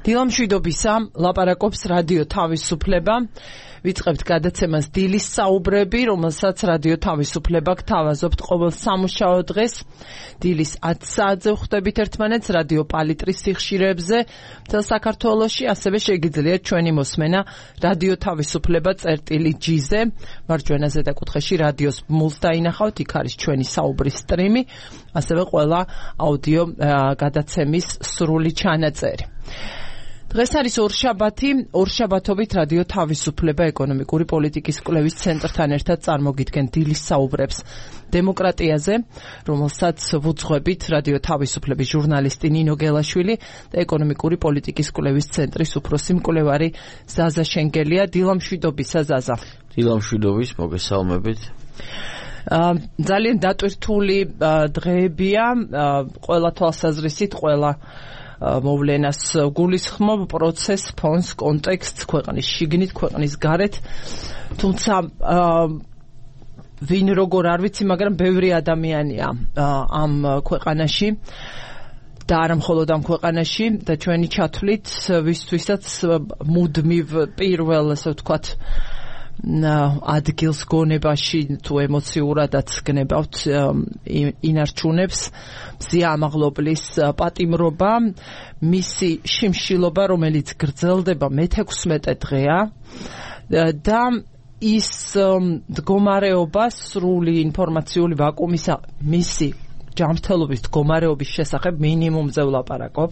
დილამშვიდობისა, ლაპარაკობს რადიო თავისუფლება. ვიწყებთ გადაცემას დილის საუბრები, რომელსაც რადიო თავისუფლება გთავაზობთ ყოველ სამუშაო დღეს. დილის 10 საათზე ვხვდებით ერთმანეთს რადიო პალიტრის სიხშირეებზე მთელ საქართველოში, ასევე შეგიძლიათ ჩვენი მოსმენა რადიო თავისუფლება წერტილი-G-ზე. მარჯვენა ზედაკუთხეში რადიოს ბმულს დაინახავთ, იქ არის ჩვენი საუბრის სტრიმი, ასევე ყველა აუდიო გადაცემის სრული ჩანაწერი. დღეს არის ორშაბათობით რადიო თავისუფლება ეკონომიკური პოლიტიკის კვლევის ცენტრთან ერთად წარმოგიდგენ დილის საუბრებს დემოკრატიაზე, რომელსაც ვუძღვებით რადიო თავისუფლების ჟურნალისტი ნინო გელაშვილი და ეკონომიკური პოლიტიკის კვლევის ცენტრის უფროსი მკვლევარი ზაზა შენგელია. დილამშვიდობისა, ზაზა. დილამშვიდობის, მოგესალმებით. ძალიან დატვირთული დღეებია, ყველა თვალსაზრისით, ყველა მოვლენას გულისხმობ პროცესს, ფონს, კონტექსტს, ქვეყნის შიგნით, ქვეყნის გარეთ. თუმცა ვინ როგორ არ ვიცი, მაგრამ ბევრი ადამიანია ამ ქვეყანაში და არა მხოლოდ ამ ქვეყანაში და ჩვენი ჩათვლით ვისთვისაც მუდმივ პირველ, ასე ვთქვათ, ადგილს გონებაში თუ ემოციურადაც გნებავთ ინარჩუნებს მზია ამაღლობლის პატიმრობა, მისი შიმშილობა, რომელიც გრძელდება მე-16 დღეა და ის მდგომარეობა, სრული ინფორმაციული ვაკუუმისა, მისი ჯანმრთელობის მდგომარეობის შესახებ მინიმუმზე ვლაპარაკობ.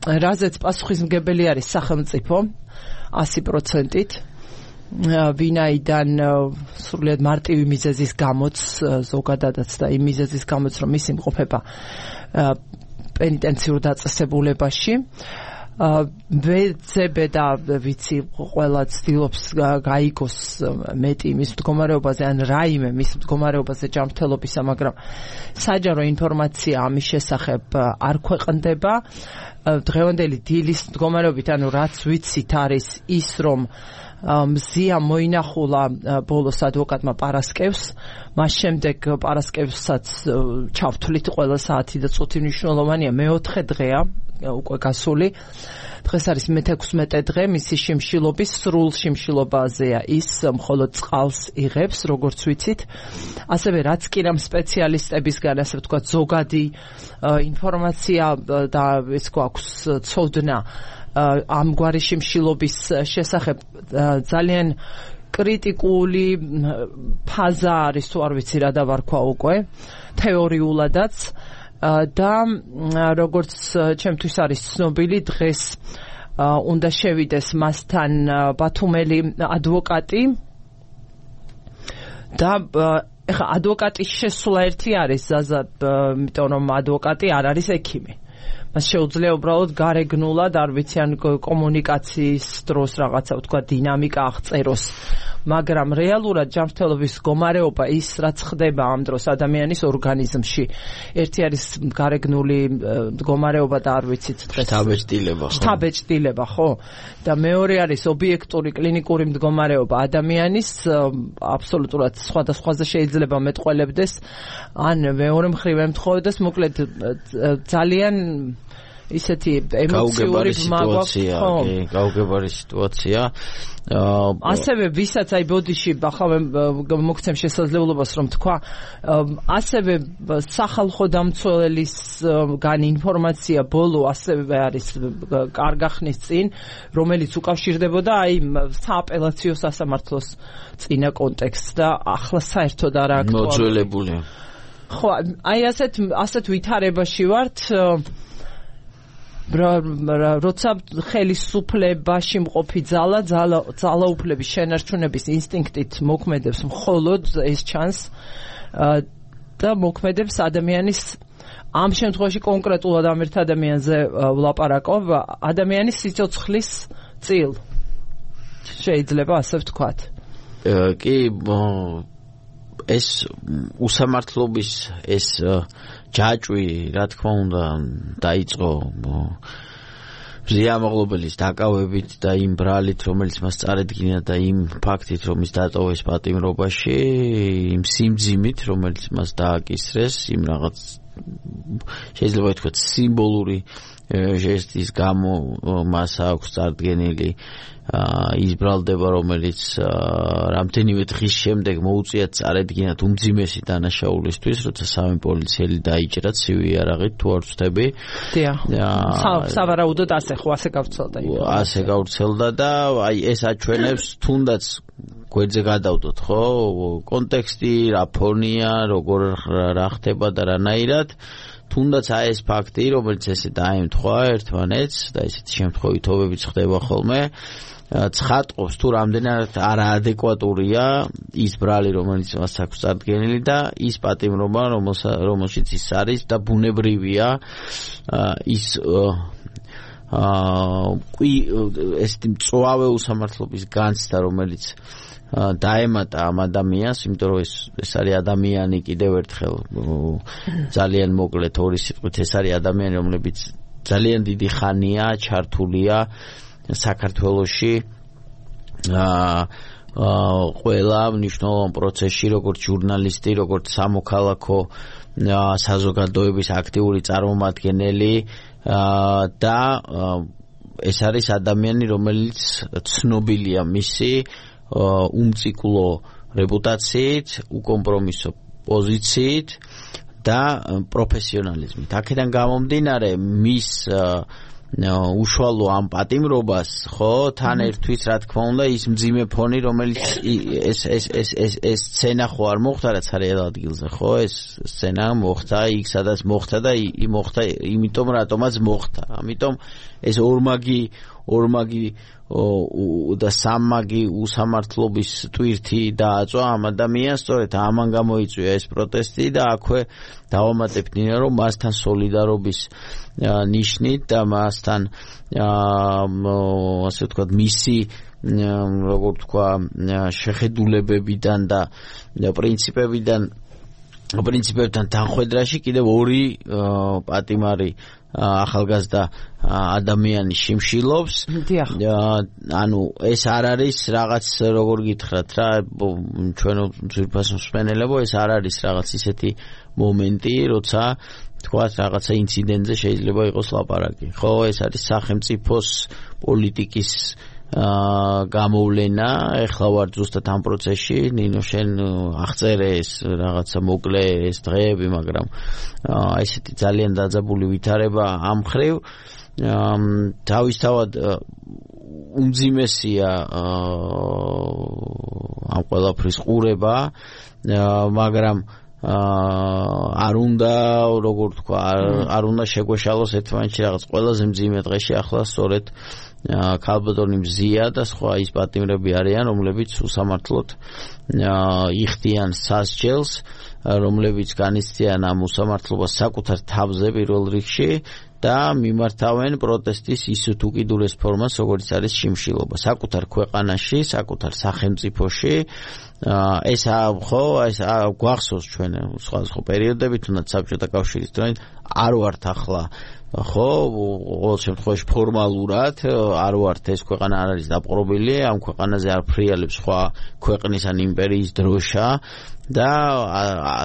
რაზეც პასუხისმგებელი არის სახელმწიფო 100%-ით, ვინაიდან სრულიად მარტივი მიზეზის გამოც, ზოგადადაც და იმ მიზეზის გამოც, რომ ის იმყოფება პენიტენციურ დაწესებულებაში. ვეძებე და ვიცი, ყველა ცდილობს გაიგოს მეტი მის მდგომარეობაზე, ან რაიმე მის მდგომარეობაზე ჯანმრთელობისა, მაგრამ საჯარო ინფორმაცია ამის შესახებ არ ქვეყნდება. დღევანდელი დილის მდგომარეობით, ანუ რაც ვიცით, არის ის, რომ მზია მოინახულა ბოლოს ადვოკატმა პარასკევს, მას შემდეგ პარასკევსაც ჩავთვლით ყველა საათი და წუთი მნიშვნელოვანია, მე-4 დღეა უკვე გასული. დღეს არის მე-16 დღე, მისი შიმშილობის, სრულ შიმშილობაზეა ის, მხოლოდ წყალს იღებს, როგორც ვიცით. ასევე რაც კი რამ სპეციალისტებისგან, ასე ვთქვათ, ზოგადი ინფორმაცია და ეს გვაქვს ცოდნა ამგვარი შიმშილობის შესახებ, ძალიან კრიტიკული ფაზა არის, თუ არ ვიცი რა დავარქვა უკვე, თეორიულადაც. და როგორც ჩემთვის არის ცნობილი, დღეს უნდა შევიდეს მასთან ბათუმელი ადვოკატი და ეხლა ადვოკატის შესვლა ერთი არის, ზაზა, იმიტომ რომ ადვოკატი არ არის ექიმი. მას შეუძლია უბრალოდ გარეგნულად, არ ვიცი, ან კომუნიკაციის დროს რაღაცა ვთქვა დინამიკა აღწეროს, მაგრამ რეალურად ჯანმრთელობის მდგომარეობა, ის რაც ხდება ამ დროს ადამიანის ორგანიზმში, ერთი არის გარეგნული მდგომარეობა და არ ვიცით დღეს შთაბეჭდილება, ხო? და მეორე არის ობიექტური კლინიკური მდგომარეობა ადამიანის, აბსოლუტურად სხვადასხვაზე შეიძლება მეტყველებდეს, ან მეორე მხრივ ემთხოვდეს, მოკლედ ძალიან ისეთი ემოციური სიტუაცია, გაუგებარი სიტუაცია. ასევე ვისაც აი ბოდიში ახლა მოგცემ შესაძლებლობას რომ თქვა, ასევე სახალხო დამცველისგან ინფორმაცია ბოლო ასევე არის კარგახნის წინ, რომელიც უკავშირდებოდა აი სააპელაციო სასამართლოს წინა კონტექსტს და ახლა საერთოდ არ აქტუალურია. მოძველებულია. ხო, აი ასეთ ვითარებაში ვართ. როცა ხელისუფლებაში მყოფი ძალაუფლების შენარჩუნების ინსტინქტით მოქმედებს მხოლოდ ეს ჩანს და მოქმედებს ადამიანის, ამ შემთხვევაში კონკრეტულად ამ ერთ ადამიანზე ვლაპარაკობ, ადამიანის სიცოცხლის წილ, შეიძლება ასე ვთქვათ. კი, ეს უსამართლობის ეს ჯაჭვი, რა თქმა უნდა, დაიწყო მზია ამაღლობელის დაკავებით და იმ ბრალით, რომელიც მას წარედგინა და იმ ფაქტით, რომ ის დატოვეს პატიმრობაში, იმ სიმძიმით, რომელიც მას დააკისრეს, იმ რაღაც შეიძლება ითქვას სიმბოლური ჟესტის გამო მას აქვს წარდგენილი ის ბრალდება, რომელიც რამდენიმე დღის შემდეგ მოუწიათ წარედგინათ უმძიმესი დანაშაულისთვის, როცა სამი პოლიციელი დაიჭრა ცივი იარაღით, თუ არ ვცდები. დიახ. სავარაუდოდ ასე გავრცელდა. ასე გავრცელდა და აი ეს აჩვენებს თუნდაც გვერდზე გადავდოთ, ხო? კონტექსტი, რა ფონია, როგორ რა ხდება და რანაირად. თუნდაც აი ეს ფაქტი, რომელიც ესე დაემთხვა ერთმანეთს და ესეთი შემთხვევითობებიც ხდება ხოლმე, ცხადყობს თუ რამდენად არაადეკვატურია ის ბრალი, რომელიც მას აქვს წარდგენილი და ის პატიმრობა, რომელშიც ის არის და ბუნებრივია ის ესეთი მწვავე უსამართლობის განცდა, რომელიც დაემატა ამ ადამიანს, იმიტომ რომ ეს არის ადამიანი, კიდევ ერთხელ ძალიან მოკლედ ორი სიტყვით, ეს არის ადამიანი, რომლებიც ძალიან დიდი ხანია ჩართულია საქართველოში ყველა მნიშვნელოვან პროცესში, როგორც ჟურნალისტი, როგორც სამოქალაქო საზოგადოების აქტიური წარმომადგენელი და ეს არის ადამიანი, რომელიც ცნობილია მისი უმციკლო რეპუტაციით, უკომპრომისო პოზიციით და პროფესიონალიზმით. აქედან გამომდინარე მის უშუალო ამ პატიმრობას, ხო, თან ერთვის, რა თქმა უნდა, ის მძიმე ფონი, რომელიც ეს სცენა ხო არ მოხდა რაც არის ადგილზე, ხო, ეს სცენა მოხდა იქ, სადაც მოხდა და მოხდა იმიტომ, რატომაც მოხდა. ამიტომ ეს ორმაგი და სამმაგი უსამართლობის ტვირთი დააწვა ამ ადამიანს, სწორედ ამან გამოიწვია ეს პროტესტი და აქვე დავამატებთ ნინა, რომ მასთან სოლიდარობის ნიშნით და მასთან ასე ვთქვათ მისი როგორ თქვა შეხედულებებიდან და პრინციპებთან თანხვედრაში კიდევ ორი პატიმარი ახალგაზრდა ადამიანი შიმშილობს. ანუ ეს არ არის რაღაც როგორ გითხრათ რა, ჩვენო ძვირფასო მსმენელებო, ეს არ არის რაღაც ისეთი მომენტი, როცა თქვათ რაღაცა ინციდენტზე შეიძლება იყოს ლაპარაკი. ხო, ეს არის სახელმწიფოს პოლიტიკის გამოვლენა. ეხლა ვარ ზუსტად ამ პროცესში, ნინო შენ აღწერე ეს რაღაცა მოკლე ეს დღეები, მაგრამ ესეთი ძალიან დაძაბული ვითარება ამ ხრივ თავისთავად უმძიმესია ამ ყველაფრის ყურება, მაგრამ არ უნდა, როგორ თქვა, არ უნდა შეგვეშალოს ერთმანეთში რაღაც ყველაზე მძიმე დღეში ახლა სწორედ ქალბატონი მზია და სხვა ის პატიმრები არიან, რომლებიც უსამართლოდ იხდიან სასჯელს, რომლებიც განიცდიან ამ უსამართლობას საკუთარ თავზე პირველ რიგში და მიმართავენ პროტესტის ის თუ კიდურეს ფორმას, როგორც არის შიმშილობა საკუთარ ქვეყანაში, საკუთარ სახელმწიფოში. ეს ხო, ეს გვახსოვს ჩვენ სხვადასხვა პერიოდები, თუნდაც საბჭოთა კავშირის დროით არ ვართ ახლა, ხო, ყოველ შემთხვევაში ფორმალურად არ ვართ, ეს ქვეყანა არ არის დაპყრობილი, ამ ქვეყანაზე არ ფრიალებს სხვა ქვეყნის ან იმპერიის დროშა და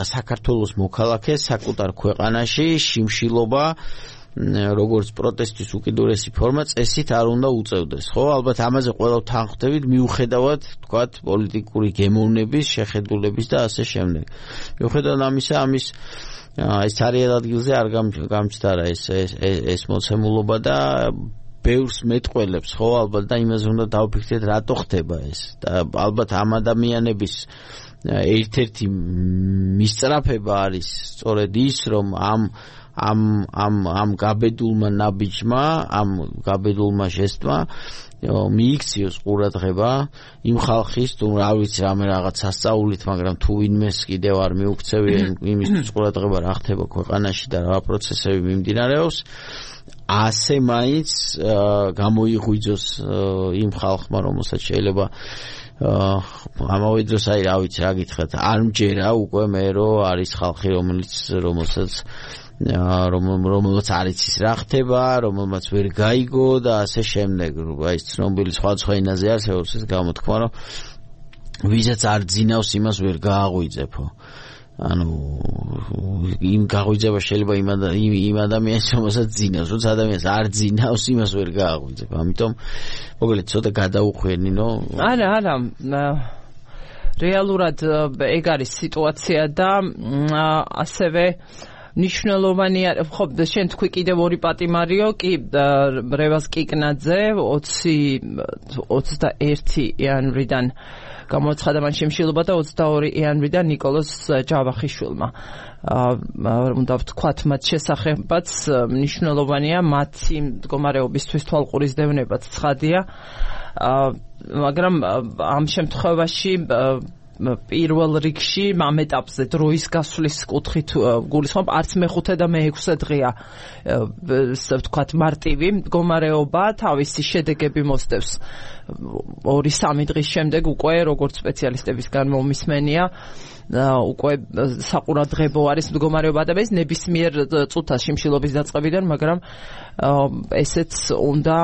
საქართველოს მოქალაქეს საკუთარ ქვეყანაში შიმშილობა როგორც პროტესტის უკიდურესი ფორმა წესით არ უნდა უწევდეს, ხო? ალბათ ამაზე ყველა თანხმდებით მიუხედავად, თქვათ, პოლიტიკური გემოვნების, შეხედულების და ასე შემდეგ. მიუხედავად ამისა, ეს ძალიან ადგილზე არ გამჩნდა ეს მოცემულობა და ბევრს მეტყველებს, ხო? ალბათ და იმაზე უნდა დავფიქრდეთ, რატო ხდება ეს. და ალბათ ამ ადამიანების ერთ-ერთი მისწრაფება არის სწორედ ის, რომ ამ გაბედულმა ნაბიჯმა, ამ გაბედულმა ჟესტმა მიიქციოს ყურადღება იმ ხალხის, თუ რა ვიცი, რამე რაღაც სასწაულით, მაგრამ თუ ვინმეს კიდევ არ მიუქცევია იმისთვის ყურადღება რა ხდება ქვეყანაში და რა პროცესები მიმდინარეობს, ასე მაინც გამოიღვიძოს იმ ხალხმა, რომელსაც შეიძლება ამავე დროს აი რა ვიცი რა გითხრათ, არ მჯერა უკვე მე რომ არის ხალხი, რომელსაც არ იცის რა ხდება, რომელმაც ვერ გაიგო და ასე შემდეგ. აი ცნობილი სხვადასხვა ენაზე არსებობს ეს გამოთქმა, რომ ვისაც არ ძინავს იმას ვერ გააღვიძებო. ანუ იმ გაღვიძება შეიძლება იმ ადამიანს რომელსაც ძინავს, როცა ადამიანს არ ძინავს, იმას ვერ გააღვიძებ. ამიტომ მოგლეთ ცოტა გადაუხვენინო. არა, რეალურად ეგ არის სიტუაცია და ასევე ნიშნულოვანია, ხო, შენ თქვი კიდევ ორი პატიმარიო, კი რევაზ კიკნაძე 21 იანვრიდან გამოცხადა მან შემშილობა და 22 იანვრიდან ნიკოლოზ ჯავახიშვილმა. უნდა ვთქვათ მათ შესახებაც ნიშნულოვანია მათი მდგომარეობისთვის თვალყურისდევნებაც ცხადია, მაგრამ ამ შემთხვევაში პირველ რიგში ამ ეტაპზე დროის გასვლის კუთხით გულისხმობ არც მე-5 და მე-6 დღეა ვთქვათ მარტივი მდგომარეობა თავისი შედეგები მოსდევს 2-3 დღის შემდეგ უკვე როგორც სპეციალისტებისგან მომისმენია უკვე საყურადღებო არის მდგომარეობა და ეს ნებისმიერ წუთას შიმშილობის დაწყებიდან, მაგრამ ესეც უნდა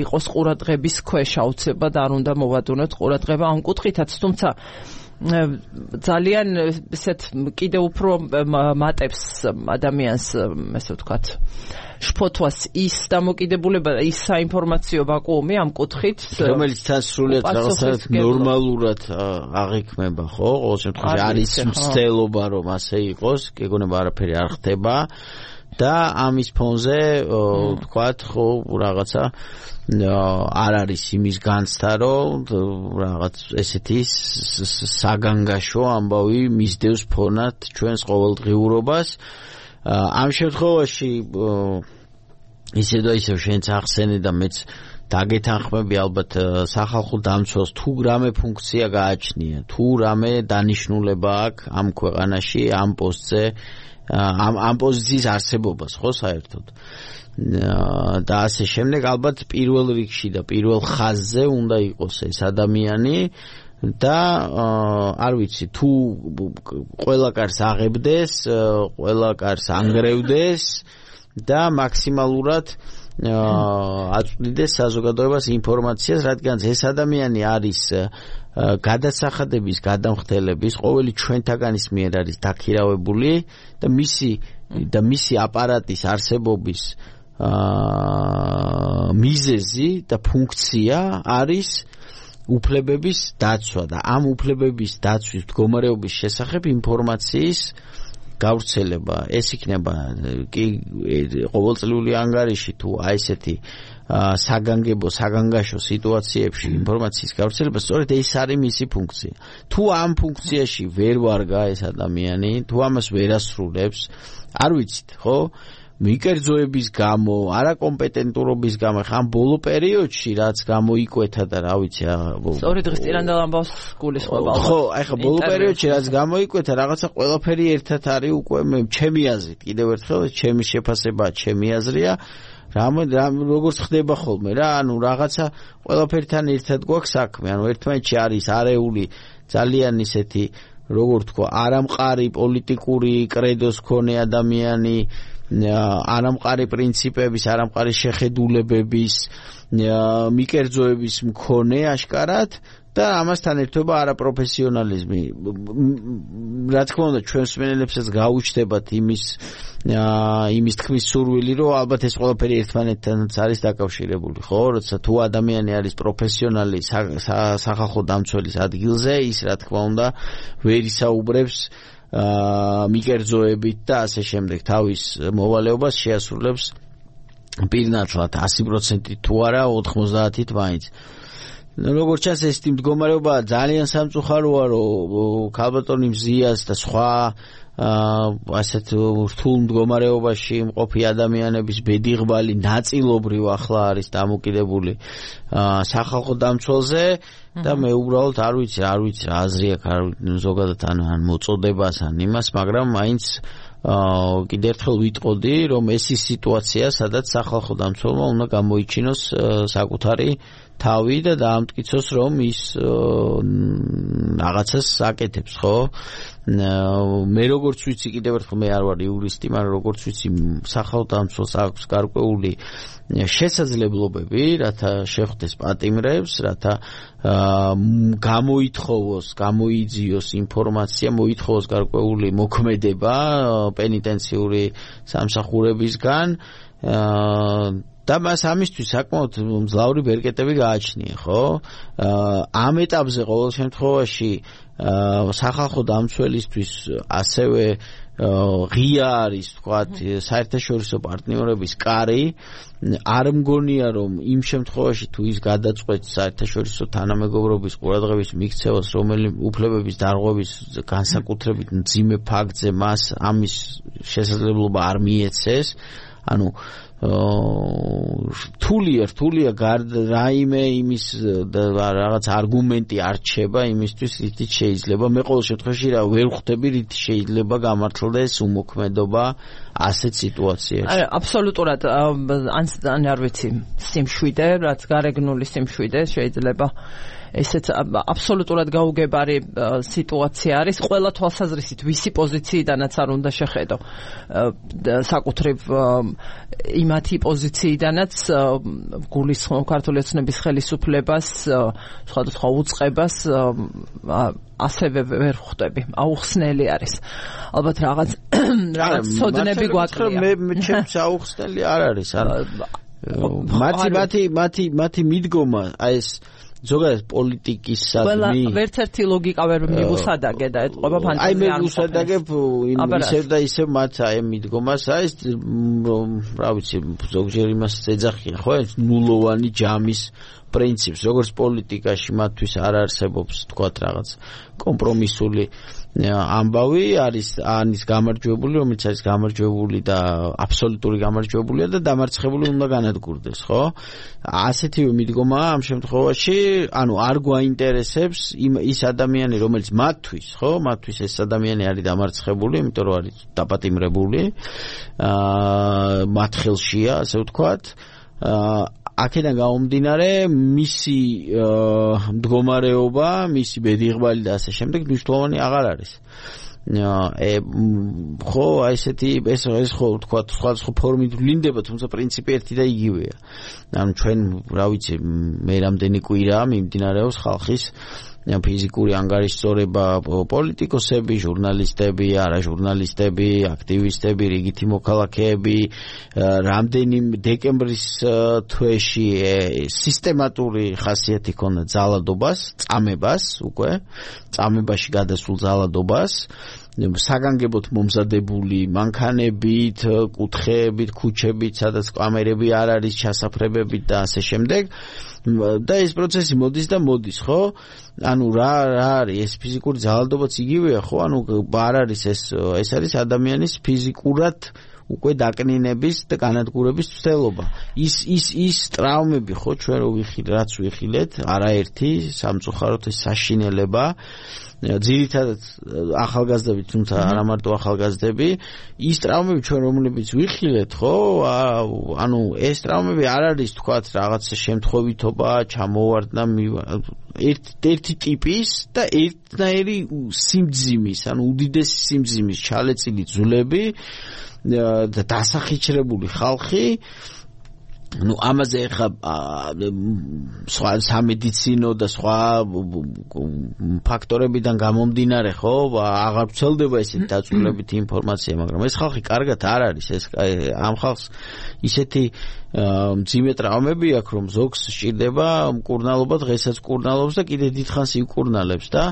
იყოს ყურადღების ქვეშ აუცილებლად არ უნდა მოვადუნოთ ყურადღება ამ კუთხითაც, თუმცა ძალიან ესეთ კიდევ უფრო მატებს ადამიანს ესე ვთქვათ შფოთვას ის დამოკიდებულება ის საინფორმაციო ვაკუუმი ამ კუთხით რომელიც თან სრულიად რაღაცა ნორმალურად აღიქმება ხო ყოველ შემთხვევაში არის მცდელობა რომ ასე იყოს გეგონება არაფერი არ ხდება და ამის ფონზე ვთქვათ ხო რაღაცა არ არის იმის განცდა რომ რაღაც ესეთი საგანგაშო ამბავი მისდევს ფონად ჩვენს ყოველდღიურობას ამ შემთხვევაში ისე და ისე შენც ახსენე და მეც დაგეთანხმები ალბათ სახალხო დამცველს თუ რამე ფუნქცია გააჩნია თუ რამე დანიშნულება აქვს ამ ქვეყანაში ამ პოსტზე ამ პოზიციის არსებობას ხო საერთოდ და ასე შემდეგ ალბათ პირველ რიგში და პირველ ხაზზე უნდა იყოს ეს ადამიანი და არ ვიცი თუ ყველა კარს აღებდეს, ყველა კარს ანგრევდეს და მაქსიმალურად აწვდიდეს საზოგადოებას ინფორმაციას, რადგან ეს ადამიანი არის გადასახადების, გადამხდელების, ყოველი ჩვენთაგანის მიერ არის დაქირავებული და მისი აპარატის არსებობის მიზეზი და ფუნქცია არის უფლებების დაცვა და ამ უფლებების დაცვის მდგომარეობის შესახებ ინფორმაციის გავრცელება ეს იქნება კი ყოველწლიური ანგარიში თუ აი ესეთი საგანგაშო სიტუაციებში ინფორმაციის გავრცელება სწორედ ეს არის მისი ფუნქცია თუ ამ ფუნქციაში ვერ ვარგა ეს ადამიანი თუ ამას ვერ ასრულებს არ ვიცით ხო მიკერძოების გამო, არაკომპეტენტურობის გამო, ხან ბოლო პერიოდში რაც გამოიკვეთა და რა ვიცი, სწორი დღის წინანდელ ამბავს გულისხმობა. ხო, ახლა ბოლო პერიოდში რაც გამოიკვეთა, რაღაცა ყველაფერი ერთად არის უკვე ჩემი აზრით. კიდევ ერთხელ ჩემი შეფასება, ჩემი აზრია. როგორც ხდება ხოლმე რა, ანუ რაღაცა ყველაფერთან ერთად გვაქვს საქმე, ანუ ერთმანეთში არის არეული ძალიან ისეთი, როგორ თქვა, არამყარი პოლიტიკური კრედოს მქონე ადამიანი არამყარი პრინციპების, არამყარი შეხედულებების, მიკერძოების მქონე ашკარად და ამასთან ერთობა არაპროფესიონალიზმი. რა თქმა უნდა, ჩვენს მსმენელებსაც გაუჩნდებათ იმის თქმის სურვილი, რომ ალბათ ეს ყველაფერი ერთმანეთთანაც არის დაკავშირებული, ხო? როცა თუ ადამიანი არის პროფესიონალი სახალხო დამცველის ადგილზე, ის რა თქმა უნდა ვერ ისაუბრებს მიკერძოებით და ასე შემდეგ თავის მოვალეობას შეასრულებს პირნათლად 100% თუ არა 90-ით მაინც. როგორც ჩანს ეს მდგომარეობა ძალიან სამწუხაროა რომ ქალბატონი მზიას და სხვა ასეთ რთულ მდგომარეობაში მყოფი ადამიანების ბედიღბალი ნაწილობრივ ახლა არის დამოკიდებული სახალხო დამცველზე და მე უბრალოდ არ ვიცი რა აზრი აქვს ზოგადად ან მოწოდებას ან იმას, მაგრამ მაინც კიდევ ერთხელ ვიტყოდი, რომ ეს ის სიტუაცია, სადაც სახალხო დამცველმა უნდა გამოიჩინოს საკუთარი თავი და დაამტკიცოს, რომ ის რაღაცას აკეთებს, ხო? მე როგორც ვიცი კიდევ ერთხელ მე არ ვარ იურისტი, მაგრამ როგორც ვიცი სახელმწიფოს აქვს გარკვეული შესაძლებლობები, რათა შეხვდეს პატიმრებს, რათა გამოითხოვოს, გამოიძიოს ინფორმაცია, მოითხოვოს გარკვეული მოქმედება პენიტენციური სამსახურებისგან და მას ამისთვის საკმაოდ მძლავრი ბერკეტები გააჩნია, ხო? ამ ეტაპზე ყოველ შემთხვევაში სახალხო დამცველისთვის ასევე ღია არის, თქვათ, საერთაშორისო პარტნიორების კარი. არ მგონია, რომ იმ შემთხვევაში თუ ის გადაწყვეტს საერთაშორისო თანამეგობრობის ყურადღების მიქცევას, რომელი უფლებების დარღვევის განსაკუთრებით მძიმე ფაქტზე მას ამის შესაძლებლობა არ მიეცეს, ანუ რთულია რაიმე იმის რაღაც არგუმენტი არ რჩება იმისთვის, რითიც შეიძლება მე ყოველ შემთხვევაში ვერ ხვდები, რით შეიძლება გამართლდეს უმოქმედობა ასეთ სიტუაციაში. არა, აბსოლუტურად ან არ ვიცი, სიმშვიდე, რაც გარეგნული სიმშვიდე შეიძლება ესეც აბსოლუტურად გაუგებარი სიტუაცია არის ყველა თვალსაზრისით, ვისი პოზიციიდანაც არ უნდა შეხედო. საკუთრივ იმათი პოზიციიდანაც გულისხმობ ქართული ოცნების ხელისუფლებას, სხვადასხვა უწყებას ასევე ვერ ხვდები. აუხსნელი არის. ალბათ რაღაც ცოდნები გვაქვს. მე ჩემს აუხსნელი არ არის. მათი მიდგომა აი ეს ზოგადად პოლიტიკისადმი ვერც ერთი ლოგიკა ვერ მივუსადაგე და ეთყობა ფანტაზია. აი მე ვუსადაგებ ისევ და ისევ მათ აი მიდგომას აი ეს რა ვიცი ზოგჯერ იმას ეძახიან ხო ეს ნულოვანი ჯამის პრინციპს როგორც პოლიტიკაში მათთვის არ არსებობს თქვათ რაღაც კომპრომისული ამბავი არის ანის გამარჯვებული რომელიც არის გამარჯვებული და აბსოლუტური გამარჯვებულია და დამარცხებული უნდა განადგურდეს ხო ასეთივე მიდგომაა ამ შემთხვევაში ანუ არ გვაინტერესებს ის ადამიანი რომელიც მათთვის ხო მათთვის ეს ადამიანი არის დამარცხებული იმიტომ რომ არის დაპატიმრებული მათ ხელშია ასე ვთქვათ აქედან გამომდინარე მისი მდგომარეობა, მისი ბედიღბალი და ასე შემდეგ მნიშვნელოვანი აღარ არის. ხო, აი ესეთი ეს ხო თქვა სხვა ფორმით ვლინდება, თუმცა პრინციპი ერთი და იგივეა. ანუ ჩვენ, რა ვიცი, მე რამდენი კვირაა მიმდინარეობს ხალხის ფიზიკური ანგარიშწორება პოლიტიკოსები, ჟურნალისტები, არაჟურნალისტები, აქტივისტები, რიგითი მოქალაქეები, რამდენიმე დეკემბრის თვეში სისტემატური ხასიათი ჰქონდა ძალადობას, წამებას უკვე, წამებაში გადასულ ძალადობას, საგანგებოდ მომზადებული მანქანებით, კუთხეებით, ქუჩებით, სადაც კამერები არ არის, ჩასაფრებებით და ასე შემდეგ. და ეს პროცესი მოდის და მოდის, ხო? ანუ რა არის ეს ფიზიკური ძალადობაც იგივეა, ხო? ანუ არ არის ეს არის ადამიანის ფიზიკურად უკვე დაკნინების და განადგურების ცდელობა. ის ტრავმები, ხო, ჩვენ რო ვიხილეთ, რაც ვიხილეთ, არაერთი სამწუხაროდ ეს საშინელება ძირითადად ახალგაზრდები, თუმცა არა მარტო ახალგაზრდები, ის ტრავმები ჩვენ რომლებიც ვიხილეთ, ხო? ანუ ეს ტრავმები არ არის, თქვათ, რაღაც შემთხვევითობა, ჩამოვარდნა ერთი ტიპის და ერთნაირი სიმძიმის, ანუ უდიდესი სიმძიმის ჩალეწილი ძვლები და დასახიჩრებული ხალხი ну ამაზე ახლა სხვა სამედიცინო და სხვა ფაქტორებიდან გამომდინარე ხო აღარ ვცელდება ესეთი დაწვრილებითი ინფორმაცია მაგრამ ეს ხალხი კარგად არ არის ეს ამ ხალხს ისეთი მძიმე ტრავმები აქვს რომ ზოგს სჭირდება მკურნალობა დღესაც კურნალობს და კიდე დიდხანს იკურნალებს და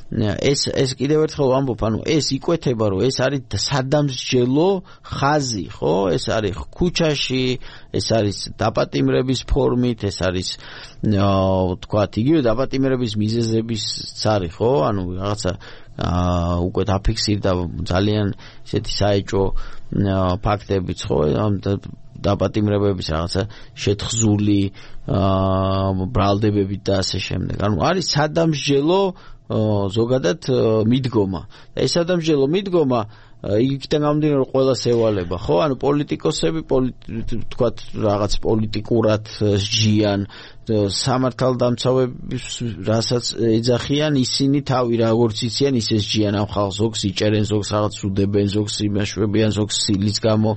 ეს კიდევ ერთხელ ვამბობ ანუ ეს იკვეთება რომ ეს არის სადამსჯელო ხაზი ხო ეს არის ქუჩაში ეს არის დაპატიმრების ფორმით ეს არის თქვათ იგივე დაპატიმრების მიზეზებიც არის ხო ანუ რაღაცა უკვე დაფიქსირდა ძალიან ისეთი საეჭვო ფაქტებიც ხო დაპატიმრებების რაღაცა შეთხზული ბრალდებებით და ასე შემდეგ ანუ არის სადამსჯელო ზოგადად მიდგომა და ეს სადამსჯელო მიდგომა იქიდან გამომდინარე რომ ყველას ევალება ხო ანუ პოლიტიკოსები თქვათ რაღაც პოლიტიკურად სჯიან სამართალდამცავების რასაც ეძახიან ისინი თავი როგორც იციან ისე სჯიან ამ ხალხს ზოგს იჭერენ ზოგს რაღაც უდებენ ზოგს იმაშვებიან ზოგს სილის გამო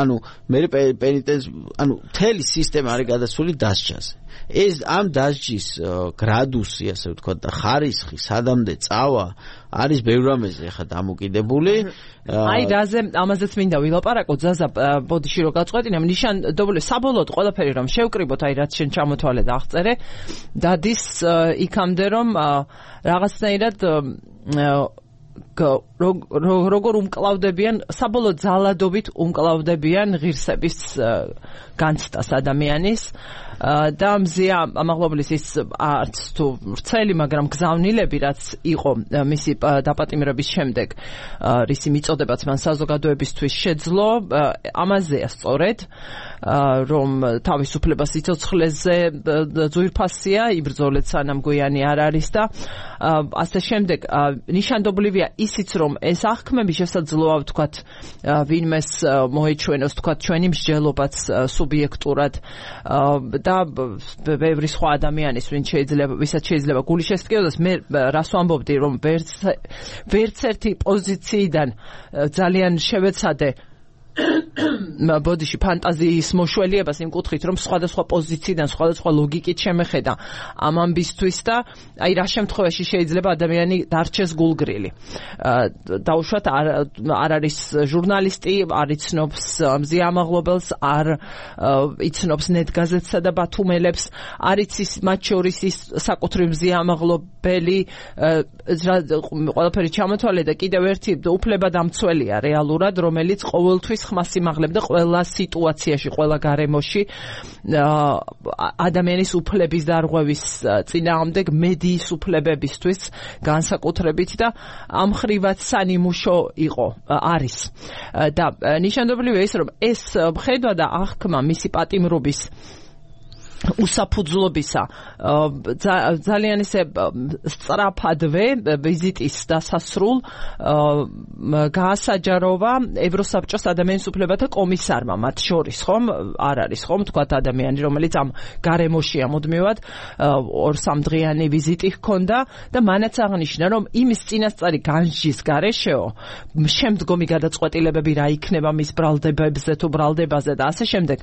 ანუ მე პენიტენს ანუ მთელი სისტემა არის გადასული დასჯაზე ეს ამ დასჯის გრადუსი ასე ვთქვათ და ხარისხი სადამდე წავა არის ბევრ რამეზე ხა დამოკიდებული აი ამაზეც მინდა ვილაპარაკო ზაზა ბოდიში რო გაწყვეტინე ნიშანდობლივ საბოლოოდ ყველაფერი რომ შევკრიბოთ აი რაც შენ ჩამოთვალე და აღწერე დადის იქამდე რომ რაღაცნაირად როგორ უმკლავდებიან საბოლოოდ ძალადობით უმკლავდებიან ღირსების განცდას ადამიანის და მზია ამაღლობლის ის არც თუ ვრცელი მაგრამ გზავნილები რაც იყო მისი დაპატიმრების შემდეგ რისი მიწოდებაც მან საზოგადოებისთვის შეძლო ამაზეა სწორედ რომ თავისუფლებას სიცოცხლეზე ძვირფასია იბრძოლეთ სანამ გვიანი არ არის და ასე შემდეგ ნიშანდობლივია ისიც რომ ეს აღქმები შესაძლოა ვთქვათ ვინმეს მოეჩვენოს ვთქვათ ჩვენი მსჯელობაც სუბიექტურად და ბევრი სხვა ადამიანის ვისაც შეიძლება გული შესტკიოს მე რას ვამბობდი რომ ვერც ერთი პოზიციიდან ძალიან შევეცადე ბოდიში ფანტაზიის მოშველიებას იმ კუთხით რომ სხვადასხვა პოზიციიდან სხვადასხვა ლოგიკით შემეხედა ამ ამბისთვის და აი რა შემთხვევაში შეიძლება ადამიანი დარჩეს გულგრილი დაუშვათ არ არის ჟურნალისტი არ იცნობს მზია ამაღლობელს არ იცნობს ნეტგაზეთსა და ბათუმელებს არ იცის მათ შორის ის საკუთრივ მზია ამაღლობელი ყველაფერი ჩამოთვალე და კიდევ ერთი უფლებადამცველია რეალურად რომელიც ყოველთვის ხმას იმაღლებდა ყველა სიტუაციაში, ყველა გარემოში ადამიანის უფლების დარღვევის წინააღმდეგ მედიის უფლებებისთვის განსაკუთრებით და ამ ხრივაც სანიმუშო იყო არის და ნიშანდობლივია ის რომ ეს ხედვა და აღქმა მისი პატიმრობის უსაფუძვლობისა ძალიან ისე სწრაფადვე ვიზიტის დასასრულ გაასაჯაროვა ევროსაბჭოს ადამიანის უფლებათა კომისარმა მათ შორის ხომ არ არის ხომ თქვათ ადამიანი რომელიც ამ გარემოშია მუდმივად 2-3 დღიანი ვიზიტი ჰქონდა და მანაც აღნიშნა რომ იმის წინასწარი განსჯის გარეშეო შემდგომი გადაწყვეტილებები რა იქნება მის ბრალდებებზე თუ ბრალდებაზე და ასე შემდეგ